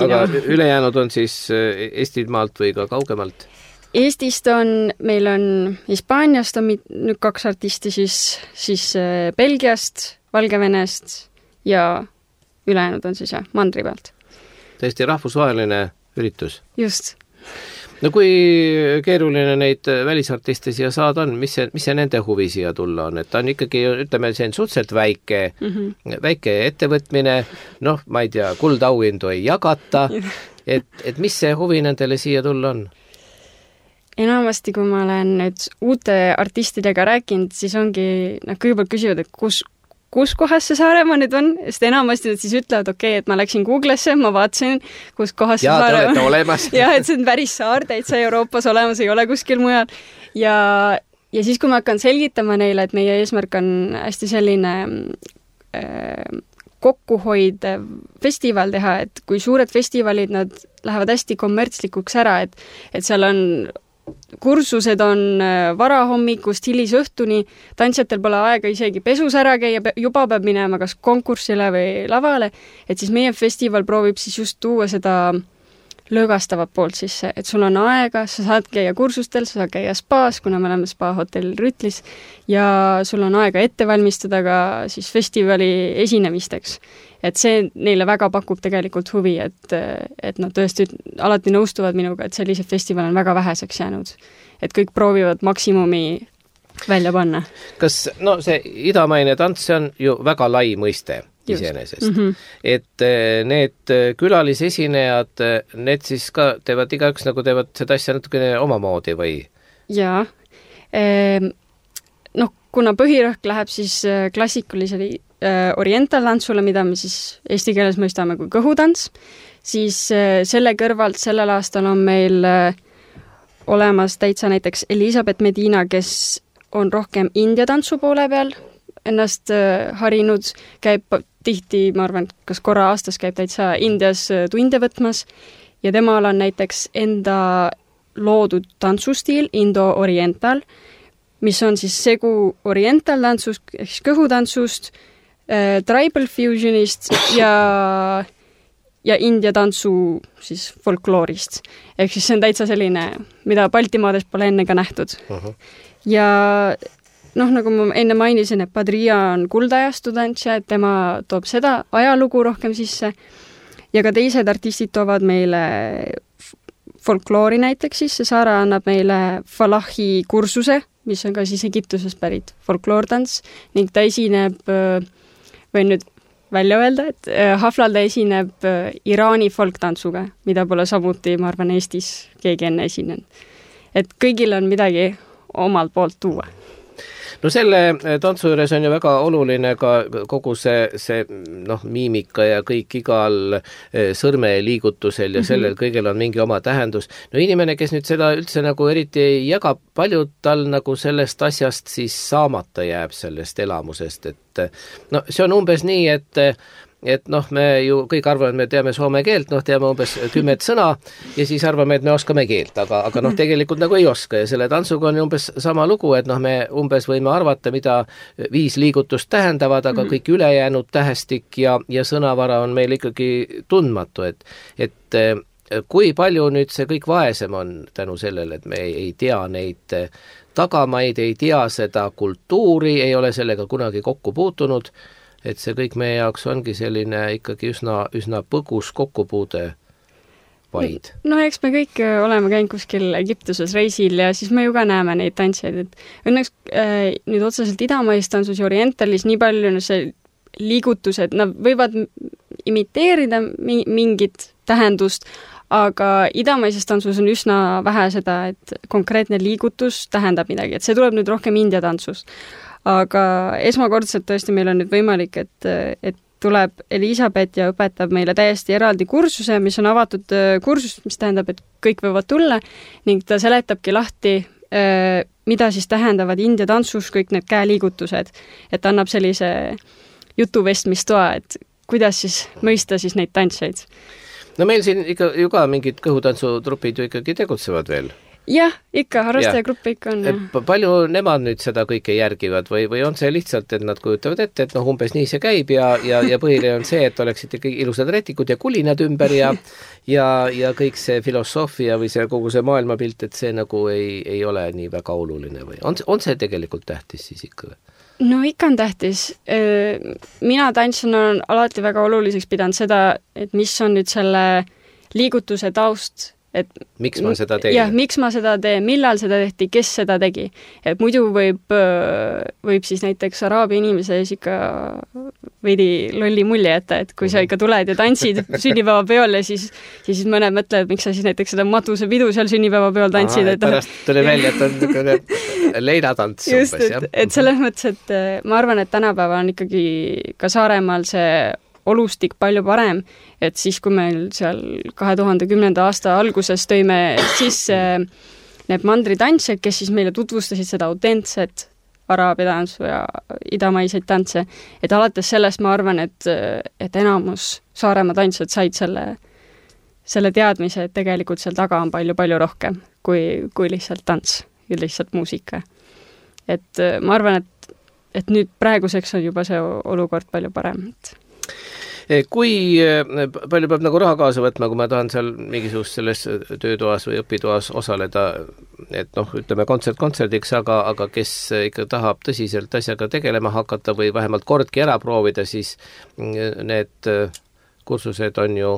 Aga ülejäänud on siis Eestimaalt või ka kaugemalt? Eestist on, meil on Hispaaniast on nüüd kaks artisti, siis, siis Belgiast, Valgevenest ja ülejäänud on siis jah, mandri pealt. Tõesti rahvusvaheline üritus. Just. no kui keeruline neid välisartiste siia saada on, mis see, mis see nende huvi siia tulla on, et ta on ikkagi, ütleme, see on suhteliselt väike mm, -hmm. väike ettevõtmine, noh, ma ei tea, kuldauhindu ei jagata, et, et mis see huvi nendele siia tulla on? Enamasti, kui ma olen nüüd uute artistidega rääkinud, siis ongi, noh, kõigepealt küsivad, et kus kus kohas see Saaremaa nüüd on, sest enamasti nad siis ütlevad, okei, okay, et ma läksin Google'sse, ma vaatasin, kus kohas ja, see Saaremaa on. olemas. jah, et see on päris saar, täitsa Euroopas olemas, ei ole kuskil mujal. Ja, ja siis, kui ma hakkan selgitama neile, et meie eesmärk on hästi selline äh, kokkuhoidev festival teha, et kui suured festivalid, nad lähevad hästi kommertslikuks ära, et, et seal on kursused on varahommikust hilisõhtuni, tantsijatel pole aega isegi pesus ära käia, juba peab minema kas konkursile või lavale, et siis meie festival proovib siis just tuua seda lõõgastavat poolt sisse, et sul on aega, sa saad käia kursustel, sa saad käia spaas, kuna me oleme spa hotell Rütlis, ja sul on aega ette valmistada ka siis festivali esinemisteks. Et see neile väga pakub tegelikult huvi, et, et nad tõesti alati nõustuvad minuga, et sellised festival on väga väheseks jäänud. Et kõik proovivad maksimumi välja panna. Kas, no see idamaine tants, see on ju väga lai mõiste iseenesest. Mm -hmm. Et need külalisesinejad, need siis ka teevad igaüks nagu teevad seda asja natukene omamoodi või? Jaa. Noh, kuna põhirõhk läheb siis klassikulisele orientaltantsule, mida me siis eesti keeles mõistame kui kõhutants, siis selle kõrvalt sellel aastal on meil olemas täitsa näiteks Elisabeth Medina, kes on rohkem India tantsu poole peal ennast harinud, käib tihti, ma arvan, kas korra aastas käib täitsa Indias tunde võtmas ja temal on näiteks enda loodud tantsustiil Indo-Oriental, mis on siis segu orientaltantsust, ehk kõhutantsust, äh, tribal fusionist ja, ja India tantsu siis folkloorist. Ehk siis see on täitsa selline, mida Baltimaades pole enne ka nähtud. Uh-huh. Ja noh, nagu ma enne mainisin, et Padria on kuldajastu tantsija, et tema toob seda ajalugu rohkem sisse ja ka teised artistid toovad meile folkloori näiteks sisse. Saara annab meile Falahi kursuse, mis on ka siis Egiptusest pärit folkloortants ning ta esineb, võin nüüd välja öelda, et Haflal ta esineb Iraani folktantsuga, mida pole samuti, ma arvan, Eestis keegi enne esinenud. Et kõigil on midagi omalt poolt tuua. No selle tantsu juures on ju väga oluline ka kogu see, see noh, miimika ja kõik igal sõrmeliigutusel ja sellel kõigel on mingi oma tähendus. No inimene, kes nüüd seda üldse nagu eriti ei jaga, palju tal nagu sellest asjast siis saamata jääb sellest elamusest, et no see on umbes nii, et et noh, me ju kõik arvame, et me teame soome keelt, noh, teame umbes kümmet sõna ja siis arvame, et me oskame keelt, aga, aga noh, tegelikult nagu ei oska ja selle tantsuga on umbes sama lugu, et noh, me umbes võime arvata, mida viis liigutust tähendavad, aga kõik ülejäänud tähestik ja, ja sõnavara on meil ikkagi tundmatu, et, et kui palju nüüd see kõik vaesem on tänu sellele, et me ei, ei tea neid tagamaid, ei tea seda kultuuri, ei ole sellega kunagi kokku puutunud, et see kõik meie jaoks ongi selline ikkagi üsna, üsna põgus kokkupuude vaid. No eks me kõik oleme käinud kuskil Egiptuses reisil ja siis me ju ka näeme neid tantsijaid, et õnneks äh, nüüd otseselt idamais tantsus ja orientalis nii palju see liigutused, nad võivad imiteerida mi- mingit tähendust, aga idamaises tantsus on üsna vähe seda, et konkreetne liigutus tähendab midagi, et see tuleb nüüd rohkem India tantsust. Aga esmakordselt tõesti meil on nüüd võimalik, et, et tuleb Elisabeth ja õpetab meile täiesti eraldi kursuse, mis on avatud kursus, mis tähendab, et kõik võivad tulla ning ta seletabki lahti, mida siis tähendavad India tantsus kõik need käeliigutused, et annab sellise jutuvestmistoa, et kuidas siis mõista siis neid tantsijaid. No meil siin ikka ju ka mingid kõhutantsutrupid ju ikkagi tegutsevad veel. Jah, ikka, harrastajagruppe ikka on. Ja. Palju nemad nüüd seda kõike järgivad või, või on see lihtsalt, et nad kujutavad ette, et noh, umbes nii see käib ja, ja, ja põhiline on see, et oleksid ikkagi ilusad rätikud ja kulinad ümber ja, ja, ja kõik see filosoofia või see kogu see maailmapilt, et see nagu ei, ei ole nii väga oluline või on, on see tegelikult tähtis siis ikka? No ikka on tähtis. Mina tantsina olen alati väga oluliseks pidanud seda, et mis on nüüd selle liigutuse taust, et miks ma seda teen? jah, miks ma seda teen, millal seda tehti, kes seda tegi. Et muidu võib, võib siis näiteks araabia inimese ees ikka veidi lolli mulje jätta, et kui sa ikka tuled ja tantsid sünnipäevapeol ja siis, siis mõned mõtlevad, miks sa siis näiteks seda matusepidu seal sünnipäevapeol tantsid. Aha, et pärast tuli välja, et on niisugune leinatants just, umbes, jah? Et selles mõttes, et ma arvan, et tänapäeva on ikkagi ka Saaremaal see olustik palju parem, et siis, kui meil seal kahe tuhande kümnenda aasta alguses tõime sisse need mandritantsijad, kes siis meile tutvustasid seda autentset araabia tantsu ja idamaiseid tantse, et alates sellest ma arvan, et, et enamus Saaremaa tantsijad said selle, selle teadmise, et tegelikult seal taga on palju-palju rohkem kui, kui lihtsalt tants ja lihtsalt muusika. Et ma arvan, et, et nüüd praeguseks on juba see olukord palju parem, et kui palju peab nagu raha kaasa võtma, kui ma tahan seal mingisugust selles töötoas või õpitoas osaleda, et noh, ütleme kontsert kontserdiks, aga, aga kes ikka tahab tõsiselt asjaga tegelema hakata või vähemalt kordki ära proovida, siis need kursused on ju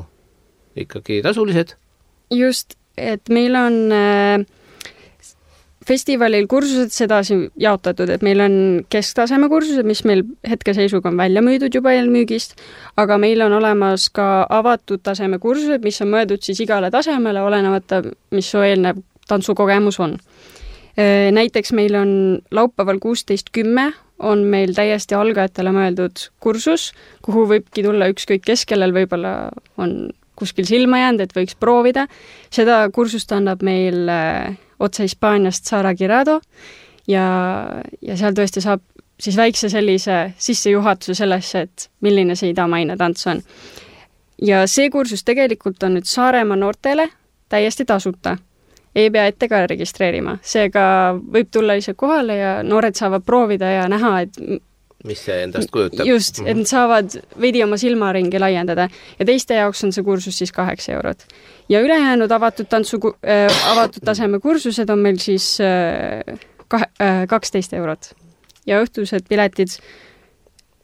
ikkagi tasulised? Just, et meil on äh, festivalil kursused sedasi jaotatud, et meil on kesktaseme kursused, mis meil hetkeseisuga on välja müüdud juba eelmüügist, aga meil on olemas ka avatud taseme kursused, mis on mõeldud siis igale tasemele, olenevata, mis su eelnev tantsukogemus on. Näiteks meil on laupäeval kuusteist kümme on meil täiesti algajatele mõeldud kursus, kuhu võibki tulla ükskõik kes, kellel võib-olla on kuskil silma jäänud, et võiks proovida. Seda kursust annab meil otse Hispaaniast Sara Girado ja, ja seal tõesti saab siis väikse sellise sissejuhatuse sellesse, et milline see idamaine tants on. Ja see kursus tegelikult on nüüd Saaremaa noortele täiesti tasuta. Ei pea ette ka registreerima. Seega võib tulla ise kohale ja noored saavad proovida ja näha, et mis see endast kujutab. Just, et nad saavad veidi oma silmaringi laiendada ja teiste jaoks on see kursus siis kaheksa eurot. Ja ülejäänud avatud, tantsu, äh, avatud taseme kursused on meil siis äh, kah, äh, kaksteist eurot. Ja õhtused piletid,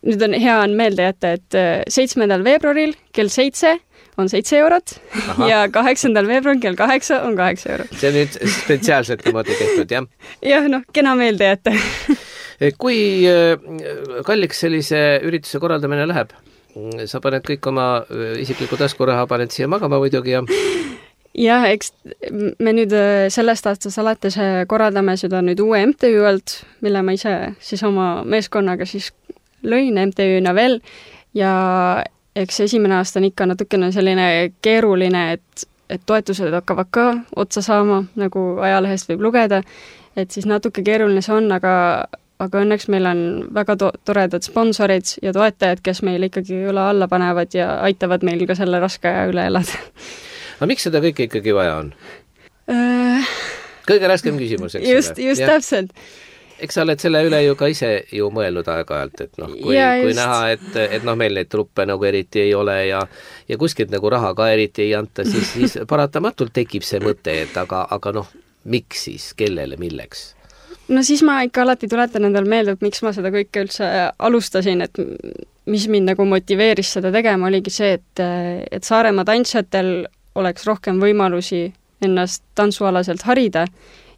nüüd on hea on meelde jätta, et seitsmendal veebruaril kell seitse on seitse eurot. Aha. Ja kaheksandal veebruaril kell kaheksa on kaheksa eurot. See on nüüd spetsiaalselt niimoodi tehtud, jah? Jah, noh, kena meelde jätta. Kui kalliks sellise ürituse korraldamine läheb? Sa paned kõik oma isikliku taskuraha, paned siia magama muidugi ja... Jah, eks me nüüd sellest aastast alates korraldame seda nüüd uue M T Ü alt, mille ma ise siis oma meeskonnaga siis lõin M T Ü-na veel ja eks esimene aasta on ikka natukene selline keeruline, et, et toetused hakkavad ka otsa saama, nagu ajalehest võib lugeda, et siis natuke keeruline see on, aga aga õnneks meil on väga to- toredad sponsorid ja toetajad, kes meil ikkagi üle alla panevad ja aitavad meil ka selle raske aja üle elada. Aga miks seda kõike ikkagi vaja on? Uh, Kõige raskem küsimus, eks just, just ja. Täpselt. Eks sa oled selle üle ju ka ise ju mõelnud aeg-ajalt, et noh, kui, kui näha, et, et noh, meil neid truppe nagu eriti ei ole ja, ja kuskilt nagu raha ka eriti ei anta, siis, siis paratamatult tekib see mõte, et aga, aga noh, miks siis, kellele, milleks? No siis ma ikka alati tuletan endal meelde, et miks ma seda kõike üldse alustasin, et mis mind nagu motiveeris seda tegema, oligi see, et, et Saaremaa tantsijatel oleks rohkem võimalusi ennast tantsualaselt harida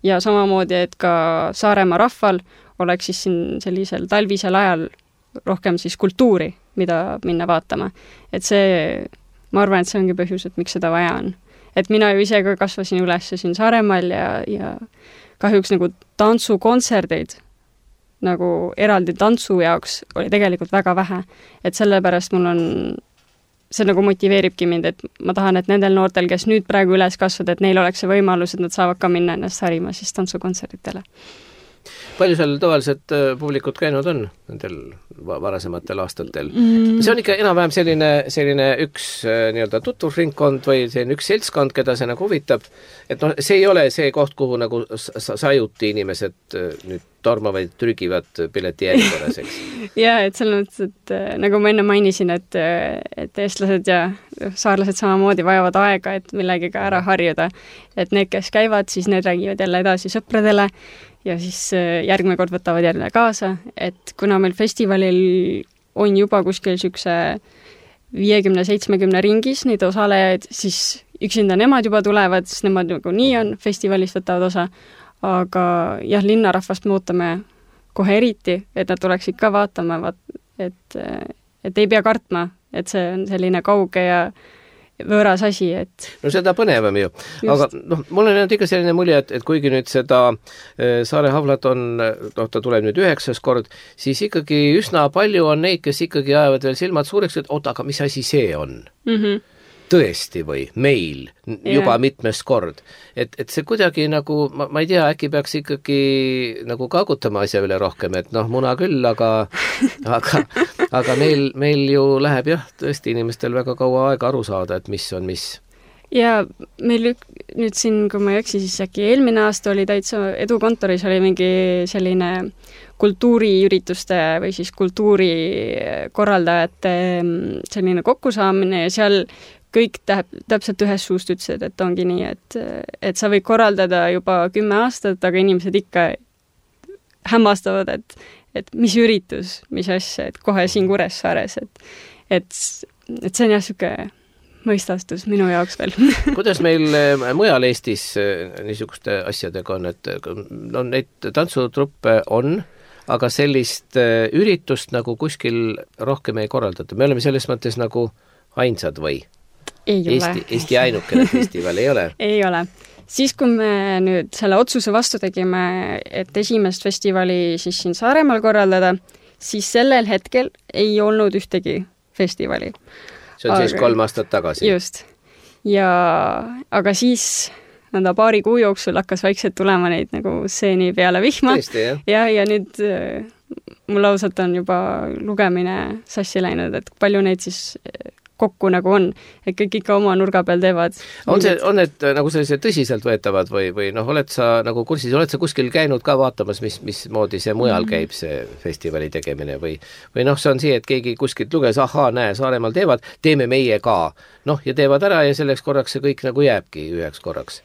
ja samamoodi, et ka Saaremaa rahval oleks siis siin sellisel talvisel ajal rohkem siis kultuuri, mida minna vaatama. Et see, ma arvan, et see ongi põhjus, et miks seda vaja on. Et mina ju ise ka kasvasin üles siin Saaremaal ja, ja kahjuks nagu tantsukontserdeid nagu eraldi tantsu jaoks oli tegelikult väga vähe. Et sellepärast mul on, see nagu motiveeribki mind, et ma tahan, et nendel noortel, kes nüüd praegu üles kasvad, et neil oleks see võimalus, et nad saavad ka minna ennast harima siis tantsukontsertidele. Palju seal tavaliselt publikut käinud on nendel varasematel aastatel? Mm. See on ikka enam-vähem selline, selline üks nii-öelda tutvusringkond või selline üks seltskond, keda see nagu huvitab. Et noh, see ei ole see koht, kuhu nagu sajuti inimesed nüüd tormavad, trügivad pileti järjekorras, eks? Jaa, et selles mõttes, et nagu ma enne mainisin, et, et eestlased ja saarlased samamoodi vajavad aega, et millegiga ära harjuda. Et need, kes käivad, siis need räägivad jälle edasi sõpradele ja siis järgmine kord võtavad jälle kaasa, et kuna meil festivalil on juba kuskil sükse viiekümne seitsmekümne ringis neid osalejaid, siis üksinda nemad juba tulevad, sest nemad nagu nii on, festivalist võtavad osa, aga jah, linnarahvast me ootame kohe eriti, et nad tuleksid ka vaatama, vaat, et, et ei pea kartma, et see on selline kauge ja võõras asi, et... No seda põnevam ju. Just. Aga noh, mul on ikka selline mulje, et, et kuigi nüüd seda Saare Havlat on, noh, ta tuleb nüüd üheksas kord, siis ikkagi üsna palju on neid, kes ikkagi ajavad veel silmad suureks, et oota, aga mis asi see on? Mm-hmm. Tõesti või meil juba yeah. mitmes kord. Et, et see kuidagi nagu, ma, ma ei tea, äkki peaks ikkagi nagu kaagutama asja üle rohkem, et noh, muna küll, aga, aga, aga meil, meil ju läheb jah, tõesti inimestel väga kaua aega aru saada, et mis on mis. Ja meil nüüd siin, kui ma ei eksi, siis äkki eelmine aasta oli täitsa edukontoris oli mingi selline kultuuriürituste või siis kultuurikorraldajate selline kokkusaamine ja seal kõik täp, täpselt ühes suust ütlesid, et ongi nii, et, et sa võid korraldada juba kümme aastat, aga inimesed ikka hämmastavad, et, et mis üritus, mis asja, et kohe siin Kuressaares, et, et, et see on jah siuke mõistastus minu jaoks veel. Kuidas meil mujal Eestis niisuguste asjadega on, et no, neid tantsutruppe on, aga sellist üritust nagu kuskil rohkem ei korraldata. Me oleme selles mõttes nagu ainsad või? Ei Eesti, ole. Eesti ainukene festival ei ole? Ei ole. Siis, kui me nüüd selle otsuse vastu tegime, et esimest festivali siis siin Saaremaal korraldada, siis sellel hetkel ei olnud ühtegi festivali. See on aga, siis kolm aastat tagasi? Just. Ja, aga siis nõnda paari kuu jooksul hakkas vaikselt tulema neid nagu seeni peale vihma. Tõesti, jah? Ja, ja nüüd mul ausalt on juba lugemine sassi läinud, et palju neid siis kokku nagu on, et kõik ikka oma nurga peal teevad. On, see, on need nagu sellised tõsiselt võetavad või, või noh, oled sa nagu kursis, oled sa kuskil käinud ka vaatamas, mis, mis moodi see mujal käib, see festivali tegemine või, või noh, see on see, et keegi kuskilt luges, ahaa, näe, Saaremaal teevad, teeme meie ka. Noh, ja teevad ära ja selleks korraks see kõik nagu jääbki üheks korraks.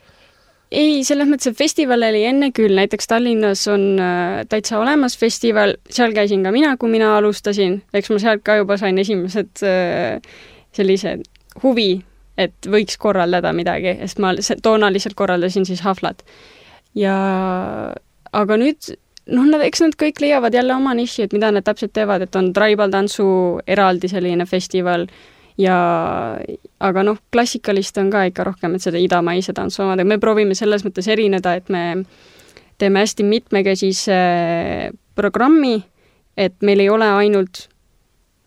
Ei, selles mõttes, et festival oli enne küll, näiteks Tallinnas on äh, täitsa olemas festival, seal käisin ka mina, kui mina alustasin, eks ma sealt ka juba sain esimesed äh, sellise huvi, et võiks korraldada midagi, sest ma toona lihtsalt korraldasin siis Havlat. Ja, aga nüüd, noh, nad, eks nad kõik leiavad jälle oma niši, et mida nad täpselt teevad, et on tribal tantsu eraldi selline festival ja, aga noh, klassikalist on ka ikka rohkem, et seda idamaise tantsu omada. Me proovime selles mõttes erineda, et me teeme hästi mitmekesise programmi, et meil ei ole ainult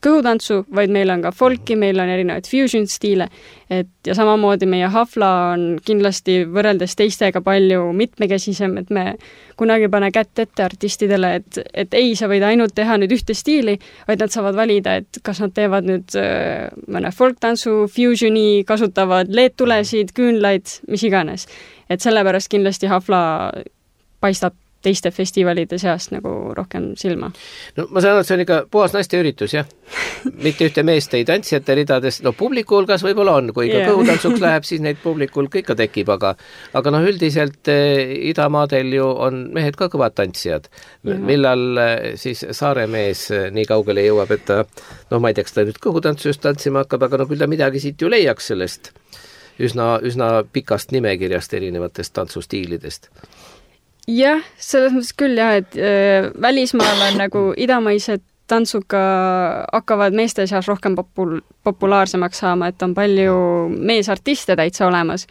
kõhutantsu, vaid meil on ka folki, meil on erinevaid fusion stiile, et ja samamoodi meie Havla on kindlasti võrreldes teistega palju mitmekesisem, et me kunagi pane kätt ette artistidele, et, et ei, sa võid ainult teha nüüd ühte stiili, vaid nad saavad valida, et kas nad teevad nüüd äh, mõne folktantsu, fusioni, kasutavad leedtulesid, küünlaid, mis iganes. Et sellepärast kindlasti Havla paistab teiste festivalide seast nagu rohkem silma. No ma saan, et see on ikka puhas naiste üritus, jah? Mitte ühte meest ei tantsijate ridades, no publiku hulgas võib-olla on, kui ikka yeah. kõhutantsuks läheb, siis neid publikul ikka tekib, aga aga noh, üldiselt eh, idamaadel ju on mehed ka kõvad tantsijad. Yeah. Millal eh, siis Saare mees eh, nii kaugele jõuab, et ta, noh, ma ei tea, kas ta nüüd kõhutantsu just tantsima hakkab, aga no küll ta midagi siit ju leiaks sellest üsna, üsna pikast nimekirjast erinevatest tantsustiilidest. Jah, selles mõttes küll jah, et äh, välismaal on nagu idamaised tantsuga hakkavad meeste seas rohkem popul- populaarsemaks saama, et on palju meesartiste täitsa olemas.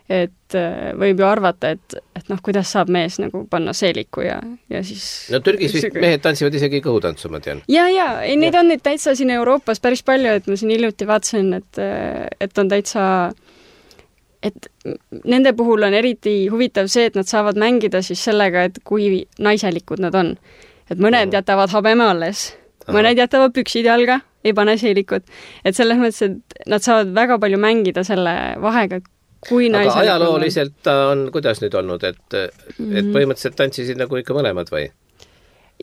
Et äh, võib ju arvata, et, et noh, kuidas saab mees nagu panna seeliku ja, ja siis... No Türgis vist mehed tantsivad isegi kõhutantsu, ma tean. Ja, ja, ei, neid ja. On neid täitsa siin Euroopas päris palju, et ma siin hiljuti vaatasin, et, et on täitsa... et nende puhul on eriti huvitav see, et nad saavad mängida siis sellega, et kui naiselikud nad on. Et mõned jätavad habeme alles, mõned jätavad püksid jalga, ei pane seelikut. Et selles mõttes, et nad saavad väga palju mängida selle vahega, kui naiselikud. Aga ajalooliselt on, kuidas nüüd olnud, et, mm-hmm. et põhimõtteliselt tantsisid nagu ikka mõlemad või?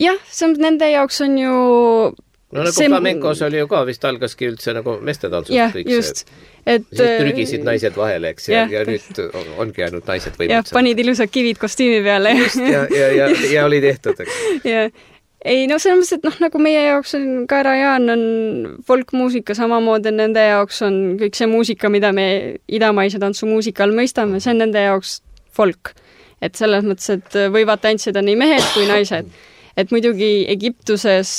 Jah, see on, nende jaoks on ju... No nagu see... flamencos oli ju ka vist algaski üldse nagu mestetantsust yeah, kõik just. See, et siis trügisid naised vahele, eks, ja, ja nüüd ongi ainult naised võimud. Ja panid ilusad kivid kostüümi peale. Just, ja, ja, ja, ja oli tehtud, eks. Ja, ei, no selles mõttes, et noh, nagu meie jaoks on Karajan on folkmuusika, samamoodi nende jaoks on kõik see muusika, mida me idamaise tantsumuusika all mõistame, see on nende jaoks folk. Et selles mõttes, et võivad tantsida nii mehed kui naised. Et muidugi Egiptuses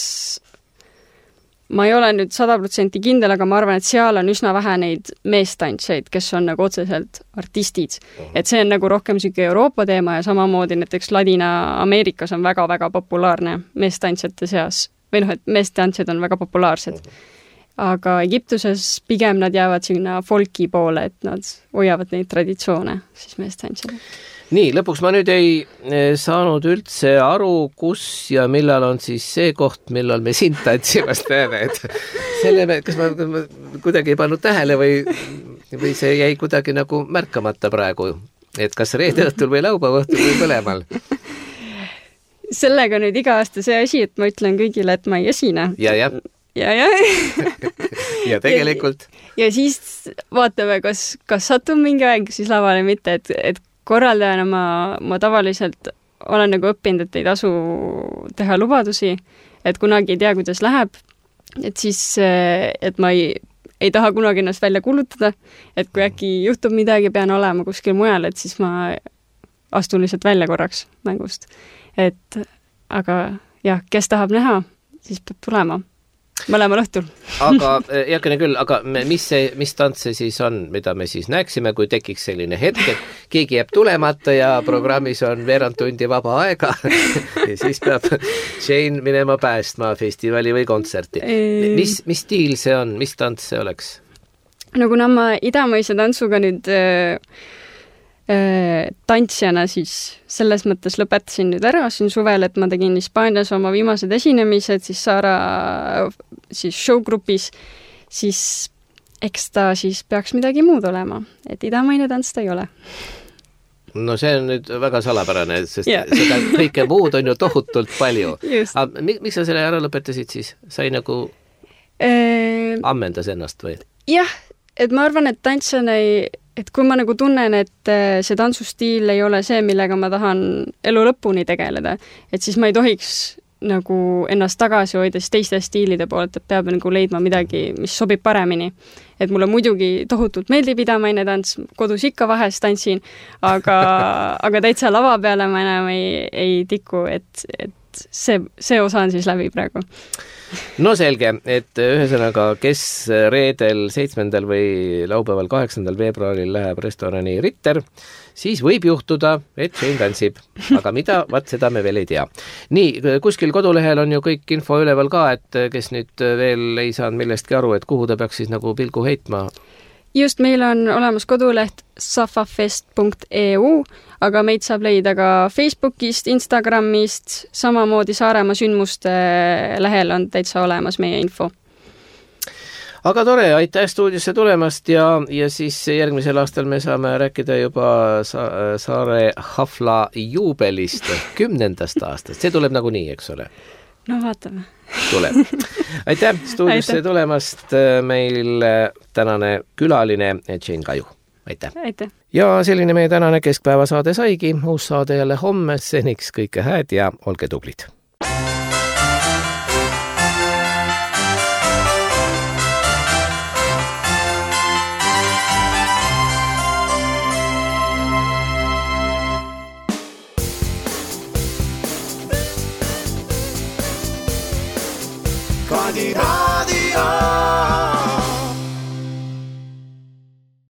ma ei ole nüüd sada protsenti kindel, aga ma arvan, et seal on üsna vähe neid meestantseid, kes on nagu otseselt artistid. Et see on nagu rohkem siuke Euroopa teema ja samamoodi näiteks Ladina-Ameerikas on väga-väga populaarne meestantsjate seas. Või noh, et meestantsjad on väga populaarsed. Aga Egiptuses pigem nad jäävad sinna folki poole, et nad hoiavad neid traditsioone, siis meestantsjad. Nii, lõpuks ma nüüd ei saanud üldse aru, kus ja millal on siis see koht, millal me sind tantsimast näeme. Et selle me, kas ma, ma kuidagi ei pannud tähele või, või see jäi kuidagi nagu märkamata praegu, et kas reede õhtul või laupäeva õhtul või põlemal? Sellega nüüd iga aasta see asi, et ma ütlen kõigile, et ma ei esine. Ja, ja. Ja, ja. ja tegelikult. Ja, ja siis vaatame, kas, kas satun mingi aeg siis lavale mitte, et, et korraldajana ma, ma tavaliselt olen nagu õppinud, et ei tasu teha lubadusi, et kunagi ei tea, kuidas läheb, et siis, et ma ei, ei taha kunagi ennast välja kulutada, et kui äkki juhtub midagi, pean olema kuskil mujal, et siis ma astun lihtsalt välja korraks mängust. Et, aga jah, kes tahab näha, siis peab tulema. Mõlemal õhtul. Aga, jakene küll, aga mis, see, mis tants see siis on, mida me siis näeksime, kui tekiks selline hetk, et keegi jääb tulemata ja programmis on veerand tundi vaba aega ja siis peab Jane minema päästma festivali või kontserti. Mis, mis stiil see on, mis tants see oleks? No kuna ma idamaise tantsuga nüüd äh, tantsjana siis selles mõttes lõpetasin nüüd ära siin suvel, et ma tegin Hispaanias oma viimased esinemised siis Saara siis showgrupis, siis eks ta siis peaks midagi muud olema, et idamaine tants ta ei ole. No see on nüüd väga salapärane, sest yeah. seda kõike muud on ju tohutult palju. Aga miks sa selle ära lõpetasid siis? Sai nagu e... ammendas ennast või? Jah, et ma arvan, et tantsjana ei et kui ma nagu tunnen, et see tantsustiil ei ole see, millega ma tahan elu lõpuni tegeleda, et siis ma ei tohiks nagu ennast tagasi hoida siis teiste stiilide poolt, et peab nagu leidma midagi, mis sobib paremini. Et mulle muidugi tohutult meeldib idamaine tants, kodus ikka vahest tantsin, aga, aga täitsa lava peale ma enam ei, ei tiku, et, et see, see osa on siis läbi praegu. No selge, et ühesõnaga, kes reedel seitsmendal või laupäeval kaheksandal veebruaril läheb restorani Ritter, siis võib juhtuda, et Jane tantsib. Aga mida, vaat seda me veel ei tea. Nii, kuskil kodulehel on ju kõik info üleval ka, et kes nüüd veel ei saanud millestki aru, et kuhu ta peaks siis nagu pilgu heitma. Just, meil on olemas koduleht safafest punkt e u, aga meid saab leida ka Facebookist, Instagramist, samamoodi Saaremaa sündmuste lehel on täitsa olemas meie info. Aga tore, aitäh stuudiosse tulemast ja, ja siis järgmisel aastal me saame rääkida juba Sa- Saare Hafla juubelist kümnendast aastast. See tuleb nagu nii, eks ole? No vaatame. Tuleb. Aitäh stuudiosse aitäh. Tulemast meil tänane külaline Jane Kaju. Aitäh. Aitäh. Ja selline meie tänane keskpäevasaade saigi. Uus saade jälle homme. Seniks kõike hääd ja olge tublid.